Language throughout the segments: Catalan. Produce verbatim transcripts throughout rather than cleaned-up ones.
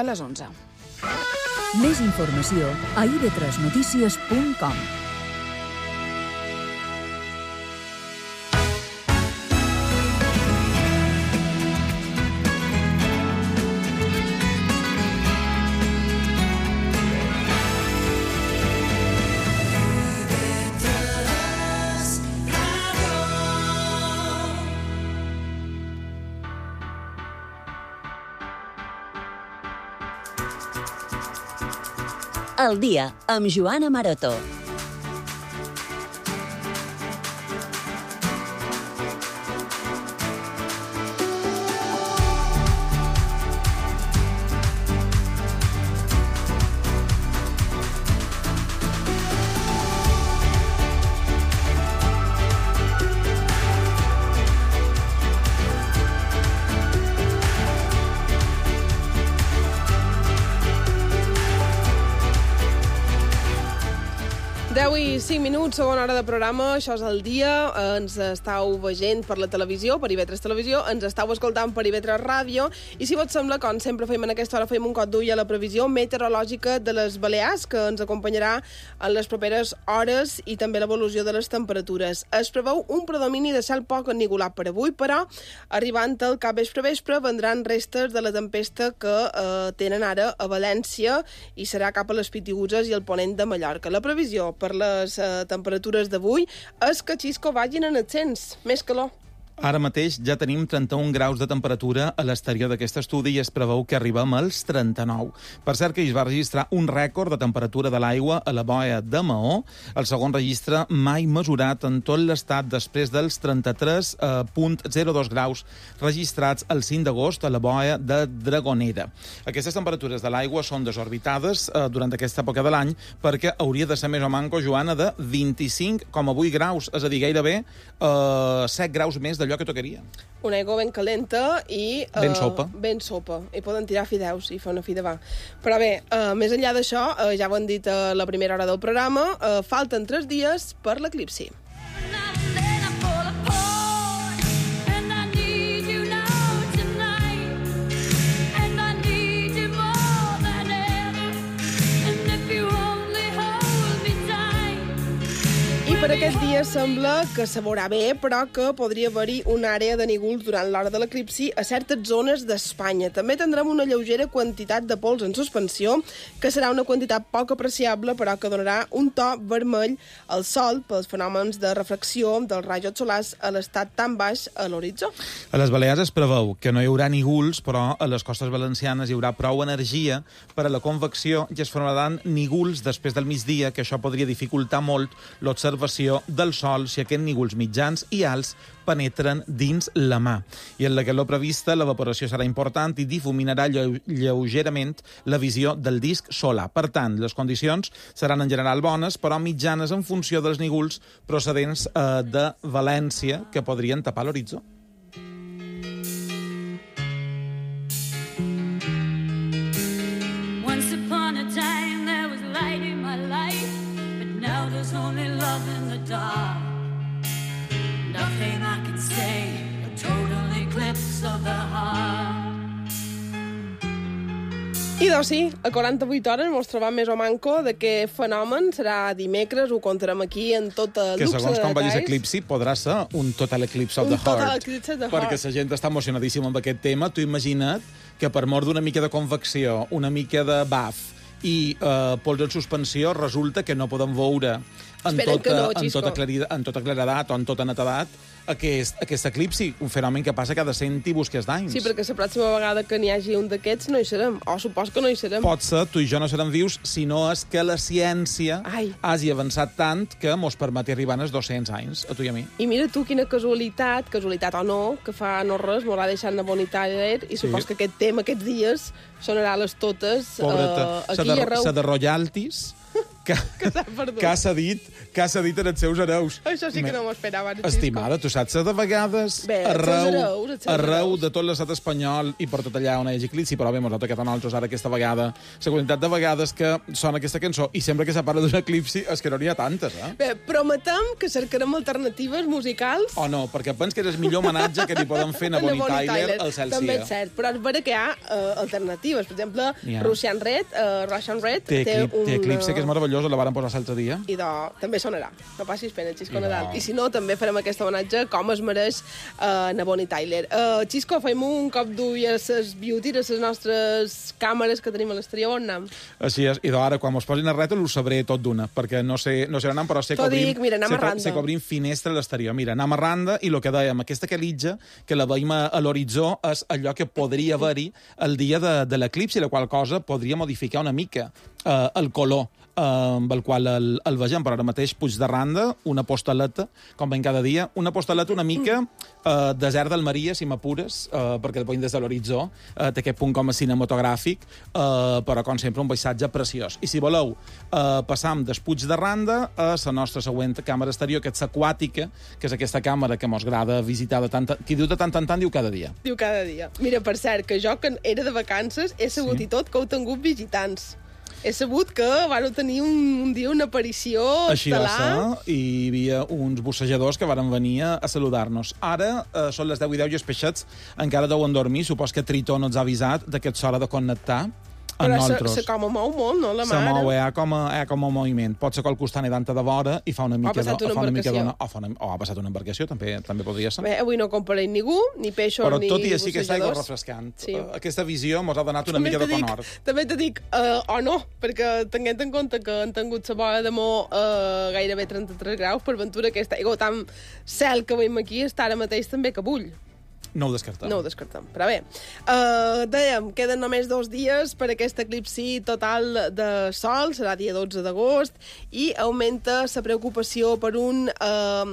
A les onze. Més informació a i ve tres notícies punt com. El dia amb Joana Maroto. deu i cinc minuts, segona hora de programa, això és el dia, ens estàu veient per la televisió, per i ve tres Televisió, ens estàu escoltant per i ve tres Ràdio, i si vos sembla, com sempre fem en aquesta hora, fem un cop d'ull a la previsió meteorològica de les Balears, que ens acompanyarà en les properes hores i també l'evolució de les temperatures. Es preveu un predomini de cel poc ennigolat per avui, però arribant al cap vespre-vespre vendran restes de la tempesta que eh, tenen ara a València i serà cap a les Pitiüses i el ponent de Mallorca. La previsió per les eh, temperatures d'avui és que Xisco vagin en ascens, més calor. Ara mateix ja tenim trenta-un graus de temperatura a l'exterior d'aquest estudi i es preveu que arribem als trenta-nou. Per cert que es va registrar un rècord de temperatura de l'aigua a la boia de Maó, el segon registre mai mesurat en tot l'estat després dels trenta-tres coma zero dos graus registrats el cinc d'agost a la boia de Dragonera. Aquestes temperatures de l'aigua són desorbitades eh, durant aquesta època de l'any perquè hauria de ser més o manco, Joana, de vint-i-cinc coma vuit graus, és a dir, gairebé eh, set graus més d'allò que tocaria. Una aigua ben calenta i... Eh, ben sopa. Ben sopa. I poden tirar fideus i fer una fi de va. Però bé, eh, més enllà d'això, eh, ja ho han dit a la primera hora del programa, eh, falten tres dies per l'eclipsi. Per aquest dia sembla que se veurà bé, però que podria haver-hi una àrea de nígols durant l'hora de l'eclipsi a certes zones d'Espanya. També tindrem una lleugera quantitat de pols en suspensió, que serà una quantitat poc apreciable, però que donarà un to vermell al sol pels fenòmens de refracció dels rajos solars a l'estat tan baix a l'horitzó. A les Balears es preveu que no hi haurà nígols, però a les costes valencianes hi haurà prou energia per a la convecció i es formaran nígols després del migdia, que això podria dificultar molt l'observació del sol si aquests nígols mitjans i alts penetren dins la mà. I en la calor prevista, l'evaporació serà important i difuminarà lleu lleugerament la visió del disc solar. Per tant, les condicions seran en general bones, però mitjanes en funció dels nígols procedents eh, de València que podrien tapar l'horitzó. Once upon a time there was light in my life, but now there's only love in the dark. Nothing I can say, a total eclipse of the heart. I doncs sí, a quaranta-vuit hores mos trobam més o manco de què fenomen serà dimecres, ho contarem aquí en tot el que luxe de segons com vagis detalls. eclipsi podrà ser un total eclipse of Un the total heart. eclipse of the Perquè heart. la gent està emocionadíssima amb aquest tema. Tu imagina't que per mort d'una mica de convecció, una mica de baf i eh, pols en suspensió, resulta que no podem veure en Espera't que tota, no, en Xisco. tota, clarida, en tota claredat o en tota netedat aquest, aquest eclipsi, un fenomen que passa cada cent i busques d'anys. Sí, perquè la pròxima vegada que n'hi hagi un d'aquests no hi serem, o supos que no hi serem. Pot ser, tu i jo no serem vius, si no és que la ciència Ai. hagi avançat tant que mos permeti arribar als dos-cents anys, a tu i a mi. I mira tu quina casualitat, casualitat o no, que fa no res, m'ho ha deixat una bonitària i supos Sí. que aquest tema aquests dies sonarà a les totes Pobreta, eh, s'ha aquí i de, arreu. s'ha de royalties que, que s'ha perdut. que ha cedit, que ha cedit en els seus hereus. Això sí que no m'ho esperava. Xisco. Estimada, tu saps que de vegades Bé, els seus arreu, hereus, els seus arreu hereus. de tot l'estat espanyol i per tot allà on hi hagi eclipsi, però bé, mos nota que tant altres ara aquesta vegada, la quantitat de vegades que sona aquesta cançó i sempre que se parla d'un eclipsi és que no n'hi ha tantes, eh? Bé, prometem que cercarem alternatives musicals. O no, perquè pens que és el millor homenatge que li poden fer a Bonnie Tyler al Cel També Sia. és cert, però és vera que hi ha uh, alternatives. Per exemple, N'hi ha. Russian Red, uh, Russian Red Té, eclip, un... té eclipse, que és meravellós, la varen posar l'altre dia. I de... també sonarà. No passis pena, Xisco I Nadal. no. I si no, també farem aquest homenatge com es mereix uh, a Bonnie Tyler. Uh, Xisco, fem un cop d'ull a les beauty, a les nostres càmeres que tenim a l'exterior, on anem? Així és, i d'ara, quan mos posin a rètol, ho sabré tot d'una, perquè no sé, no sé on anem, però sé que T'ho obrim, dic, mira, anem sé, a Randa. sé que obrim finestra a l'exterior. Mira, anem a Randa, i el que dèiem, aquesta quelitja, que la veiem a, a l'horitzó, és allò que podria haver-hi el dia de, de l'eclipsi, la qual cosa podria modificar una mica eh, el color eh, amb el qual el, el vegem, però ara mateix Puig de Randa, una postaleta, com veiem cada dia, una postaleta una mica eh, desert del Maria, si m'apures, eh, perquè el veiem des de l'horitzó, eh, té aquest punt com a cinematogràfic, eh, però com sempre un paisatge preciós. I si voleu, eh, passam des Puig de Randa a la nostra següent càmera exterior, que és aquàtica, que és aquesta càmera que mos agrada visitar de tant, qui diu de tant en tant, diu cada dia. Diu cada dia. Mira, per cert, que jo, que era de vacances, he sabut Sí. i tot que heu tingut visitants. He sabut que vau tenir un, un dia una aparició Així va estel·lar. ser, i hi havia uns bussejadors que varen venir a saludar-nos. Ara eh, són les deu i deu i els peixets encara deuen dormir. Supos que Tritó no ens ha avisat de que és hora de connectar amb Però se, nosaltres. se com a mou molt, no, la Se mare? mou, hi ha com a, hi ha com a moviment. Pot ser que el costat danta de vora i fa una mica passat de, una fa una mica embarcació. dona, o, fa una, o ha passat una embarcació, també també podria ser. Bé, avui no compareix ningú, ni peixos Però ni tot i així aquesta aigua bussejadors. refrescant. Sí. Eh, Aquesta visió mos ha donat una També mica te de dic, conhort. també te dic, uh, o no, perquè tenint en compte que han tingut la bola de Mó uh, gairebé trenta-tres graus, per ventura aquesta aigua tan cel que veiem aquí està ara mateix també que bull. No ho descartem. No ho descartem. Però bé, uh, dèiem, queden només dos dies per aquest eclipsi total de sol, serà dia dotze d'agost, i augmenta la preocupació per un uh,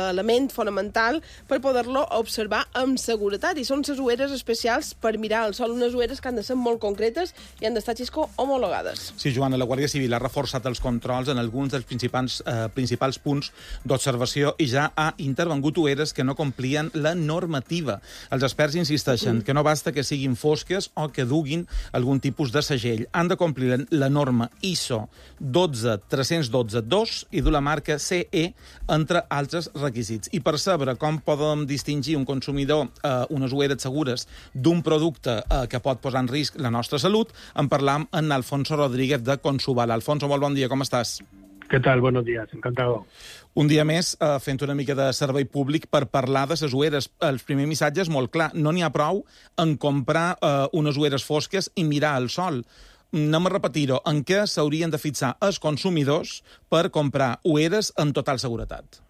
element fonamental per poder-lo observar amb seguretat, i són les ulleres especials per mirar el sol, unes ulleres que han de ser molt concretes i han d'estar, Xisco, homologades. Sí, Joana, la Guàrdia Civil ha reforçat els controls en alguns dels principals, eh, principals punts d'observació i ja ha intervengut ulleres que no complien la normativa. Els experts insisteixen que no basta que siguin fosques o que duguin algun tipus de segell. Han de complir la norma I S O dotze tres dotze dos i dur la marca C E, entre altres requisits. I per saber com podem distingir un consumidor eh, unes ulleres segures d'un producte eh, que pot posar en risc la nostra salut, en parlam amb Alfonso Rodríguez de Consubal. Alfonso, molt bon dia, com estàs? ¿Qué tal? Buenos días, encantado. Un dia més, eh, fent una mica de servei públic per parlar de les ulleres. El primer missatge és molt clar. No n'hi ha prou en comprar eh, unes ulleres fosques i mirar el sol. Anem a repetir-ho. En què s'haurien de fixar els consumidors per comprar ulleres en total seguretat?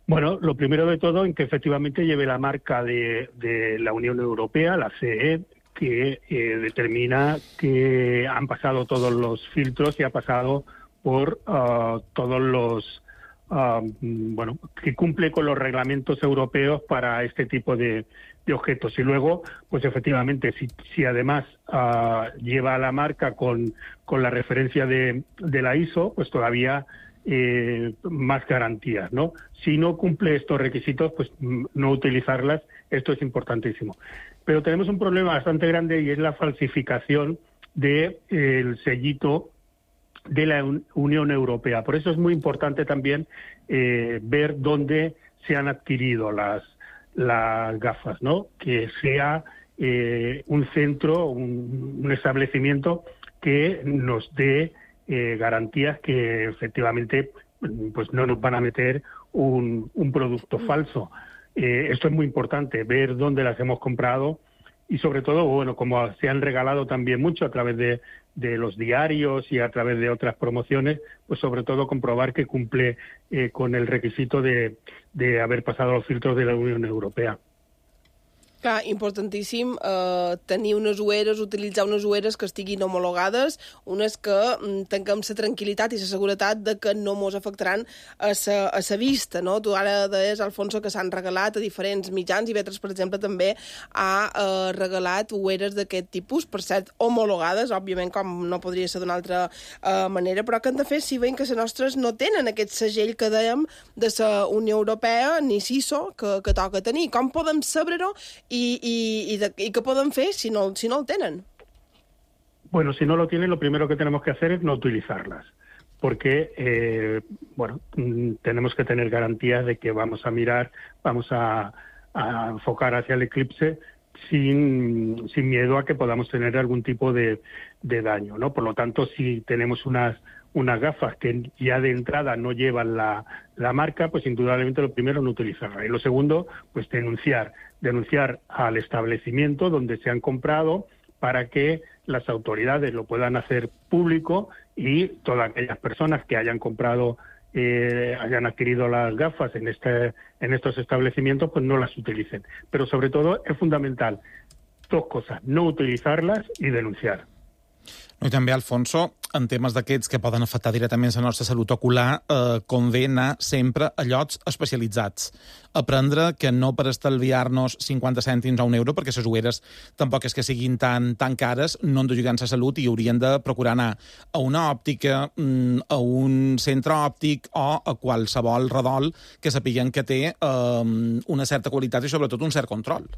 Bueno, lo primero de todo, en que efectivamente lleve la marca de, de la Unión Europea, la C E, que eh, determina que han pasado todos los filtros y ha pasado por uh, todos los, uh, bueno, que cumple con los reglamentos europeos para este tipo de, de objetos. Y luego, pues efectivamente, si, si además uh, lleva la marca con, con la referencia de, de la I S O, pues todavía eh, más garantías, ¿no? Si no cumple estos requisitos, pues no utilizarlas, esto es importantísimo. Pero tenemos un problema bastante grande y es la falsificación del de, sellito de la Unión Europea. Por eso es muy importante también eh, ver dónde se han adquirido las, las gafas, ¿no? Que sea eh, un centro, un, un establecimiento que nos dé eh, garantías que efectivamente pues no nos van a meter un, un producto falso. Eh, esto es muy importante, ver dónde las hemos comprado y sobre todo, bueno, como se han regalado también mucho a través de, de los diarios y a través de otras promociones, pues sobre todo comprobar que cumple eh, con el requisito de, de haber pasado los filtros de la Unión Europea. Clar, importantíssim eh, tenir unes ulleres, utilitzar unes ulleres que estiguin homologades, unes que mm, tinguem la tranquil·litat i la seguretat de que no mos afectaran a sa, a sa vista, no? Tu ara deies, Alfonso, que s'han regalat a diferents mitjans i Vetres, per exemple, també ha eh, regalat ulleres d'aquest tipus, per cert, homologades, òbviament, com no podria ser d'una altra eh, manera, però que han de fer si veiem que les nostres no tenen aquest segell que dèiem de la Unió Europea, ni S I S O, que, que toca tenir. Com podem saber-ho I, i, i, de, i què poden fer si no, si no el tenen? Bueno, si no lo tienen, lo primero que tenemos que hacer es no utilizarlas, porque, eh, bueno, tenemos que tener garantías de que vamos a mirar, vamos a, a enfocar hacia el eclipse sin, sin miedo a que podamos tener algún tipo de, de daño, ¿no? Por lo tanto, si tenemos unas unas gafas que ya de entrada no llevan la, la marca, pues indudablemente lo primero no utilizarla. Y lo segundo, pues denunciar, denunciar al establecimiento donde se han comprado para que las autoridades lo puedan hacer público y todas aquellas personas que hayan comprado, eh, hayan adquirido las gafas en, este, en estos establecimientos, pues no las utilicen. Pero sobre todo es fundamental dos cosas, no utilizarlas y denunciar. I també, Alfonso, en temes d'aquests que poden afectar directament la nostra salut ocular, eh, convé anar sempre a llocs especialitzats. Aprendre que no per estalviar-nos cinquanta cèntims o un euro, perquè les ulleres tampoc és que siguin tan, tan cares, no han d'ajudar en la salut i haurien de procurar anar a una òptica, a un centre òptic o a qualsevol redol que sapiguen que té eh, una certa qualitat i sobretot un cert control.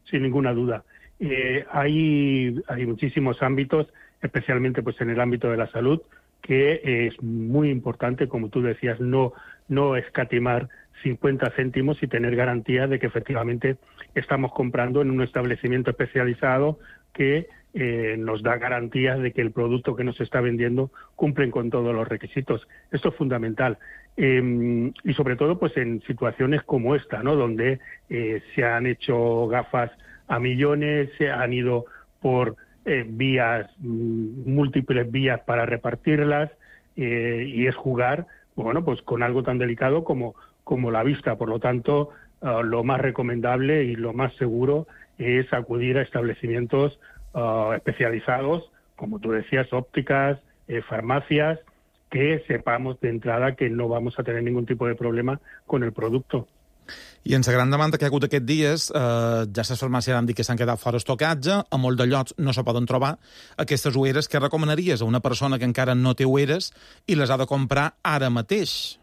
Sin ninguna duda. Eh, hay, hay muchísimos ámbitos, especialmente pues en el ámbito de la salud, que es muy importante, como tú decías, no, no escatimar cincuenta céntimos y tener garantía de que efectivamente estamos comprando en un establecimiento especializado que eh, nos da garantías de que el producto que nos está vendiendo cumplen con todos los requisitos. Esto es fundamental. Eh, y sobre todo pues en situaciones como esta, ¿no? Donde eh, se han hecho gafas a millones, se han ido por eh, vías, múltiples vías para repartirlas, eh, y es jugar, bueno, pues con algo tan delicado como, como la vista. Por lo tanto, uh, lo más recomendable y lo más seguro es acudir a establecimientos uh, especializados, como tú decías, ópticas, eh, farmacias, que sepamos de entrada que no vamos a tener ningún tipo de problema con el producto. I en la gran demanda que ha hagut aquests dies, eh, ja les farmàcies han dit que s'han quedat fora estocatge, a molt de llocs no se poden trobar. Aquestes ulleres, què recomanaries a una persona que encara no té ulleres i les ha de comprar ara mateix?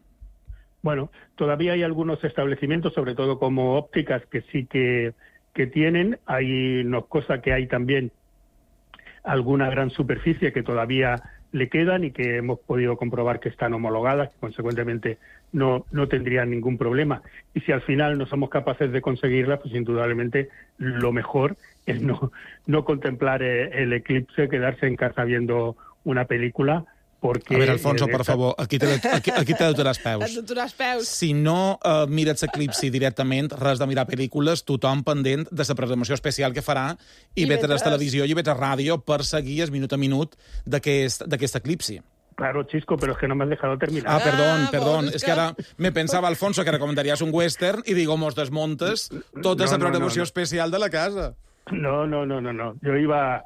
Bueno, todavía hay algunos establecimientos, sobre todo como ópticas, que sí que, que tienen. Hay una cosa que hay también alguna gran superficie que todavía le quedan y que hemos podido comprobar que están homologadas, que consecuentemente no, no tendrían ningún problema. Y si al final no somos capaces de conseguirlas, pues indudablemente lo mejor es no, no contemplar el eclipse, quedarse en casa viendo una película, porque... A veure, Alfonso, per favor, aquí t'he de, aquí, aquí t'he de donar els peus. Et donar els peus. Si no uh, mires l'eclipsi directament, res de mirar pel·lícules, tothom pendent de la programació especial que farà i, I Vetres Televisió i Vetres Ràdio per seguir el minut a minut d'aquest eclipsi. Claro, Chisco, pero es que no me has dejado terminar. Ah, perdón, Ah, perdón. vos, Es que ara me pensava, Alfonso, que recomendaries un western i digo, mos desmontes tota No, la no, programació no, no. especial de la casa. No, no, no, no, no. Yo iba,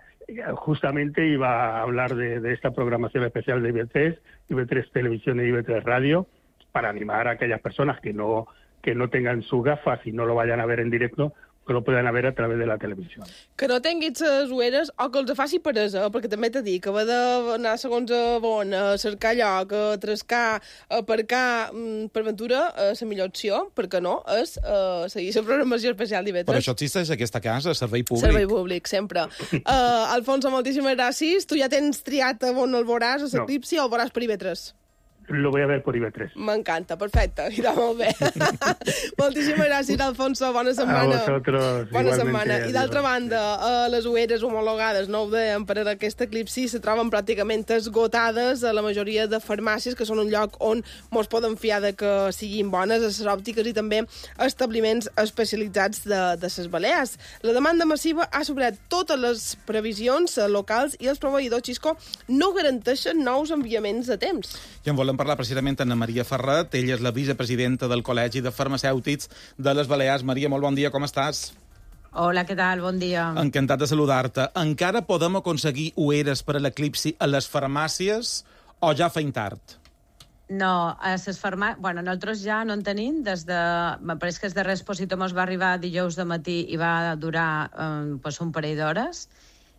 justamente iba a hablar de, de esta programación especial de I V tres, I V tres Televisión y I V tres Radio, para animar a aquellas personas que no, que no tengan sus gafas y no lo vayan a ver en directo, que lo puedan ver a través de la televisión. Que no tinguis les ulleres o que els faci peresa, perquè també t'he dit que va d'anar segons a on, a cercar lloc, a trascar, a aparcar, per ventura, la millor opció, perquè no, és uh, seguir la programació especial d'I V tres. Per això existeix aquesta casa, servei públic. Servei públic, sempre. Uh, Alfonso, moltíssimes gràcies. Tu ja tens triat on el veuràs, a l'eclipsi, no. O el veuràs per I V tres? Lo voy a ver por I V tres. M'encanta, perfecte, irà molt bé. Moltíssimes gràcies, Alfonso, bona setmana. A vosotros, bona igualmente. setmana. I d'altra Adiós. banda, eh, les ulleres homologades, no ho dèiem, per a aquest eclipsi se troben pràcticament esgotades a la majoria de farmàcies, que són un lloc on mos poden fiar de que siguin bones, a les òptiques i també a establiments especialitzats de, de les Balears. La demanda massiva ha superat totes les previsions locals i els proveïdors, Xisco, no garanteixen nous enviaments a temps. I en volem parlar precisament amb Anna Maria Ferret. Ella és la vicepresidenta del Col·legi de Farmacèutics de les Balears. Maria, molt bon dia, com estàs? Hola, què tal? Bon dia. Encantat de saludar-te. Encara podem aconseguir ulleres per a l'eclipsi a les farmàcies o ja feim tard? No, a les farmàcies... Bueno, nosaltres ja no en tenim des de... Me pareix que el darrer expositor mos va arribar dijous de matí i va durar eh, pues un parell d'hores.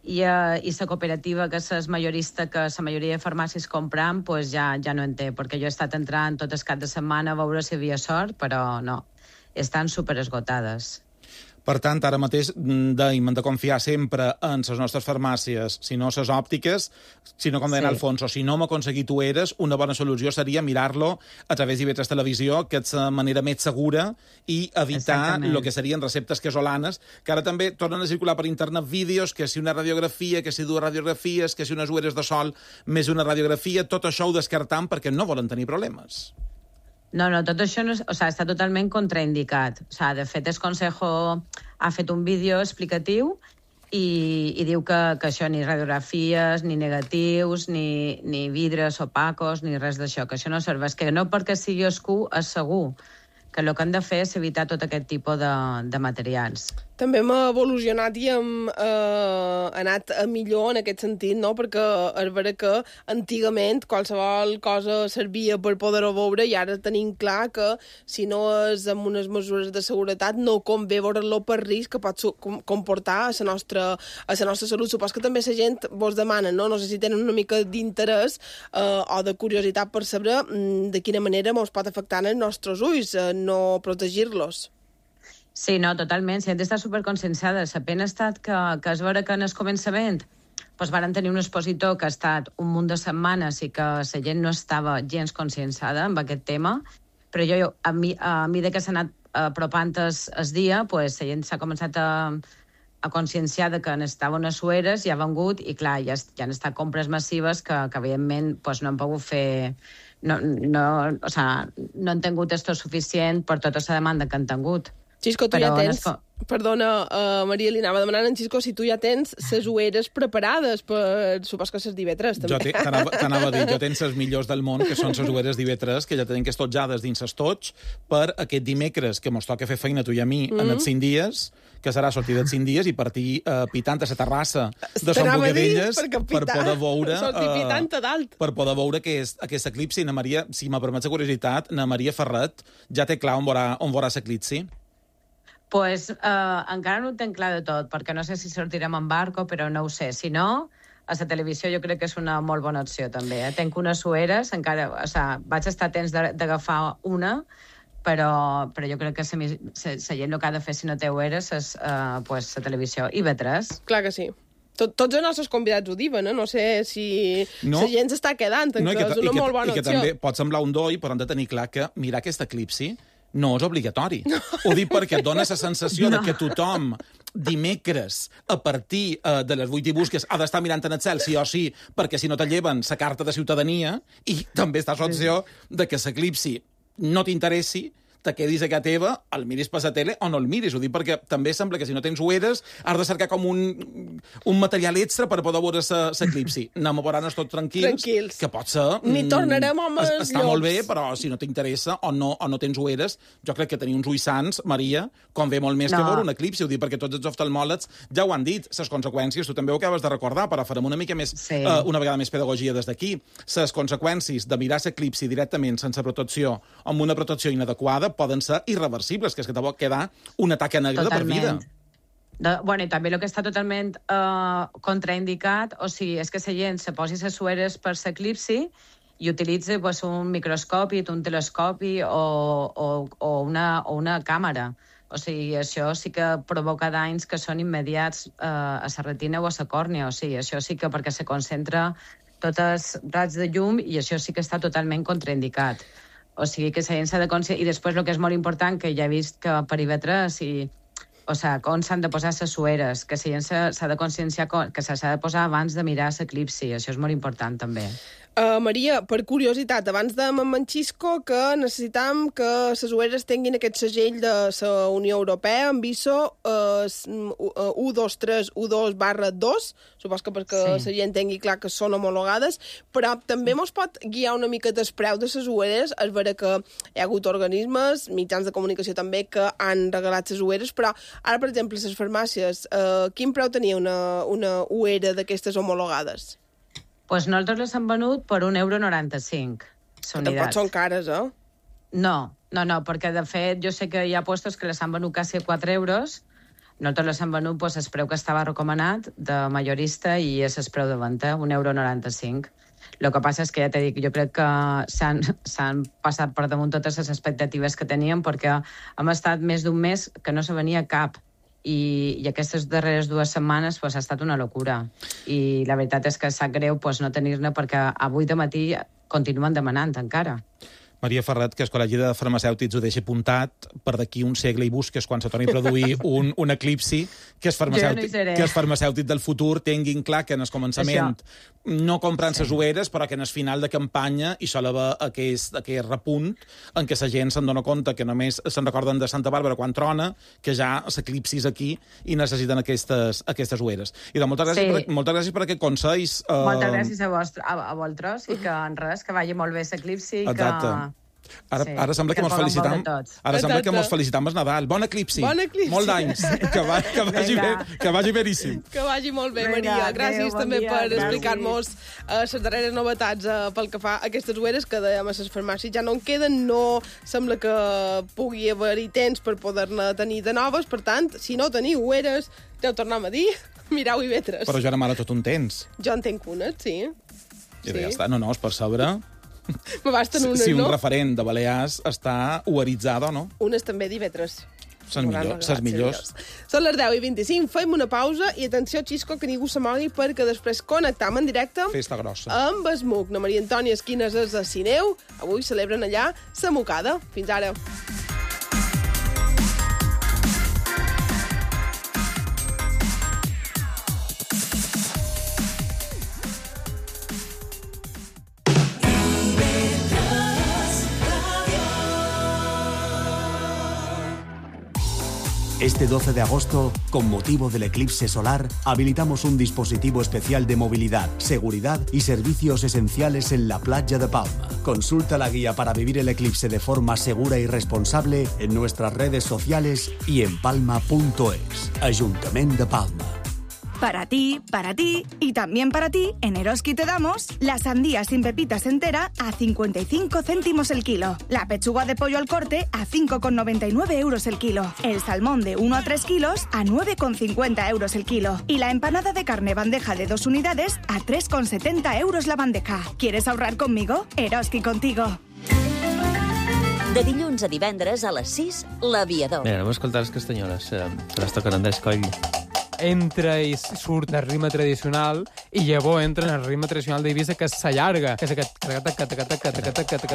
I, eh, i la cooperativa, que és majorista, que la majoria de farmàcies compram, pues ja, ja no en té, perquè jo he estat entrant tot el cap de setmana a veure si hi havia sort, però no, estan superesgotades. Per tant, ara mateix dèiem, hem de confiar sempre en les nostres farmàcies, si no les òptiques, si no, com deia sí. Alfonso, si no hem aconseguit ulleres, una bona solució seria mirar-lo a través d'I V tres Televisió, que és la manera més segura, i evitar el que serien receptes casolanes, que ara també tornen a circular per internet vídeos, que si una radiografia, que si dues radiografies, que si unes ulleres de sol més una radiografia, tot això ho descartam perquè no volen tenir problemes. No, no, tot això no és, o sea, està totalment contraindicat. O sea, de fet, el Consejo ha fet un vídeo explicatiu i, i diu que, que això ni radiografies, ni negatius, ni, ni vidres opacos, ni res d'això, que això no serveix. Que no perquè sigui oscur és segur, que el que han de fer és evitar tot aquest tipus de, de materials. També hem evolucionat i hem eh, anat a millor en aquest sentit, no? Perquè és vera que antigament qualsevol cosa servia per poder-ho veure i ara tenim clar que si no és amb unes mesures de seguretat no convé veure-lo per risc que pot comportar a la nostra, a la nostra salut. Supos que també la gent vos demana, no? No sé si tenen una mica d'interès eh, o de curiositat per saber mm, de quina manera ens pot afectar els nostres ulls, eh, no protegir-los. Sí, no, totalment. Si hem d'estar superconscienciada. La pena ha estat que, que es veure que en el començament doncs varen tenir un expositor que ha estat un munt de setmanes i que la gent no estava gens conscienciada amb aquest tema, però jo, a mi, a mesura que s'ha anat apropant el dia, doncs la gent s'ha començat a, a conscienciar que n'estaven unes sueres i ha vengut, i clar, ja, ja han estat compres massives que, que evidentment, doncs no han pogut fer... No, no, o sea, no han tingut esto suficient per tota la demanda que han tingut. Xisco, tu però ja tens... Perdona, uh, Maria, li anava demanant en Xisco si tu ja tens ses ulleres preparades per... Supos que ses d'I V tres, també. Jo t'anava a dir, jo tens les millors del món, que són ses ulleres d'I V tres, que ja tenen que estotjades dins estoig per aquest dimecres, que mos toca fer feina tu i a mi mm. en els cinc dies, que serà sortir dels cinc dies i partir uh, pitant a la terrassa de Son Bogadelles per poder veure... Uh, per poder veure que és aquest eclipsi. Na Maria, si m'ha permès la curiositat, na Maria Ferret ja té clar on veurà, on veurà l'eclipsi? Pues uh, encara no ho tenc clar de tot, perquè no sé si sortirem en barco, però no ho sé. Si no, a la televisió jo crec que és una molt bona opció, també. Eh? Tenc unes sueres, encara... O sea, vaig estar a temps d'agafar una, però, però jo crec que la gent el que ha de fer si no té ulleres és uh, pues, la televisió. I I V tres. Clar que sí. Tot, tots els nostres convidats ho diuen, eh? No sé si no. La gent s'està quedant, no, que, que és una que, molt bona opció. I que opció. també pot semblar un doi, però hem de tenir clar que mirar aquest eclipsi no és obligatori. No. Ho dic perquè et dona la sensació no. de que tothom dimecres a partir uh, de les vuit i busques ha d'estar mirant en el cel sí o sí, perquè si no te lleven la carta de ciutadania, i també està l'opció de que l'eclipsi no t'interessi, te quedis a casa teva, el miris per la tele o no el miris. Ho dic perquè també sembla que si no tens ulleres has de cercar com un, un material extra per poder veure l'eclipsi. Anem a veure-nos tots tranquils, tranquils, que pot ser... Ni tornarem amb els Està llocs. Molt bé, però si no t'interessa o no, o no tens ulleres, jo crec que tenir uns ulls sants, Maria, convé molt més no. que veure un eclipsi. Ho dic perquè tots els oftalmòlegs ja ho han dit, les conseqüències, tu també ho acabes de recordar, però farem una mica més, sí. uh, una vegada més pedagogia des d'aquí. Les conseqüències de mirar l'eclipsi directament sense protecció, amb una protecció inadequada, poden ser irreversibles, que és que te pot quedar una taca negra totalment. De per vida. De, bueno, i també el que està totalment uh, contraindicat, o sigui, és que la gent se posi les sueres per l'eclipsi i utilitzi pues, un microscopi, un telescopi o, o, o, una, o una càmera. O sigui, això sí que provoca danys que són immediats uh, a la retina o a la còrnea. O sigui, això sí que perquè se concentra tots els raigs de llum i això sí que està totalment contraindicat. O sigui, que la gent s'ha de conscienciar. I després, el que és molt important, que ja he vist que per I V tres, i, o sigui, com s'han de posar les sueres, que la gent s'ha de conscienciar que s'ha de posar abans de mirar l'eclipsi. Això és molt important, també. Uh, Maria, per curiositat, abans de Xisco, que necessitam que les ulleres tinguin aquest segell de la Unió Europea amb I S O uh, u dos tres u dos barra dos, supos que perquè sí. La gent tingui clar que són homologades, però també mos pot guiar una mica del preu de les ulleres. És vera que hi ha hagut organismes, mitjans de comunicació també, que han regalat les ulleres, però Ara, per exemple, les farmàcies, eh, quin preu tenia una, una uera d'aquestes homologades? Pues nosaltres les hem venut per un euro noranta-cinc. Tampoc són cares, eh? No, no, no, perquè de fet jo sé que hi ha puestos que les han venut quasi a quatre euros. Nosaltres les hem venut pues, el preu que estava recomanat de majorista i és el preu de venda, un euro noranta-cinc. El que passa és que, ja t'he dit, jo crec que s'han passat per damunt totes les expectatives que teníem perquè hem estat més d'un mes que no se venia cap. I, i aquestes darreres dues setmanes pues, ha estat una locura. I la veritat és que sap greu pues, no tenir-ne perquè avui de matí continuen demanant encara. Maria Ferret, que el Col·legi de Farmacèutics ho deixa apuntat, per d'aquí un segle i busques quan se torni a produir un, un eclipsi, que els farmacèutics, no que els farmacèutics del futur tinguin clar que en el començament Això. no compran les sí. ueres, però que en el final de campanya hi sol haver aquest, aquest repunt en què la gent se'n dona compte que només se'n recorden de Santa Bàrbara quan trona, que ja l'eclipsi és aquí i necessiten aquestes, aquestes ueres. I doncs, moltes, gràcies sí. per, moltes gràcies per aquest consells. Uh... Moltes gràcies a, vostre, a, a vosaltres i que en res, que vagi molt bé l'eclipsi i Exacte. que... Ara, sí, ara sembla que, que mos felicitam ara sembla que mos felicitam el Nadal. Bon eclipsi. Bon eclipsi. Molt d'anys. Que, va, que, vagi bé, que vagi beríssim. Que vagi molt bé, Vinga, Maria. Gràcies adeu, també bon dia, per gràcies. explicar-nos les uh, darreres novetats uh, pel que fa a aquestes ueres que dèiem a les farmàcies ja no en queden, no sembla que pugui haver-hi temps per poder-ne tenir de noves, per tant, si no teniu ueres, ja ho tornem a dir, mirau i vetres. Però jo ara mare tot un tens. Jo en tenc unes, sí. I sí. ja està, no, no, és per sobre... Me basten unes, si un no? referent de Balears està ueritzada o no. Unes també divetres. Ses millors, ses millors. Són les deu i vint-i-cinc, fem una pausa i atenció, Xisco, que ningú s'amogui perquè després connectam en directe Festa grossa. amb Esmuc. Na Maria Antònia Esquines és a Sineu. Avui celebren allà sa mocada. Fins ara. Este doce de agosto, con motivo del eclipse solar, habilitamos un dispositivo especial de movilidad, seguridad y servicios esenciales en la playa de Palma. Consulta la guía para vivir el eclipse de forma segura y responsable en nuestras redes sociales y en palma punto es. Ayuntamiento de Palma. Para ti, para ti y también para ti, en Eroski te damos la sandía sin pepitas entera a cincuenta y cinco céntimos el kilo, la pechuga de pollo al corte a cinco con noventa y nueve euros el kilo, el salmón de uno a tres kilos a nueve con cincuenta euros el kilo y la empanada de carne bandeja de dos unidades a tres con setenta euros la bandeja. ¿Quieres ahorrar conmigo? Eroski contigo. De dilluns a divendres a les sis, l'Aviador. Mira, anem a escoltar les castanyoles, eh, que les toquen Andrés Coll. Entra i surt del ritme tradicional i llavors entra en el ritme tradicional d'Eivissa que s'allarga. Que és aquest...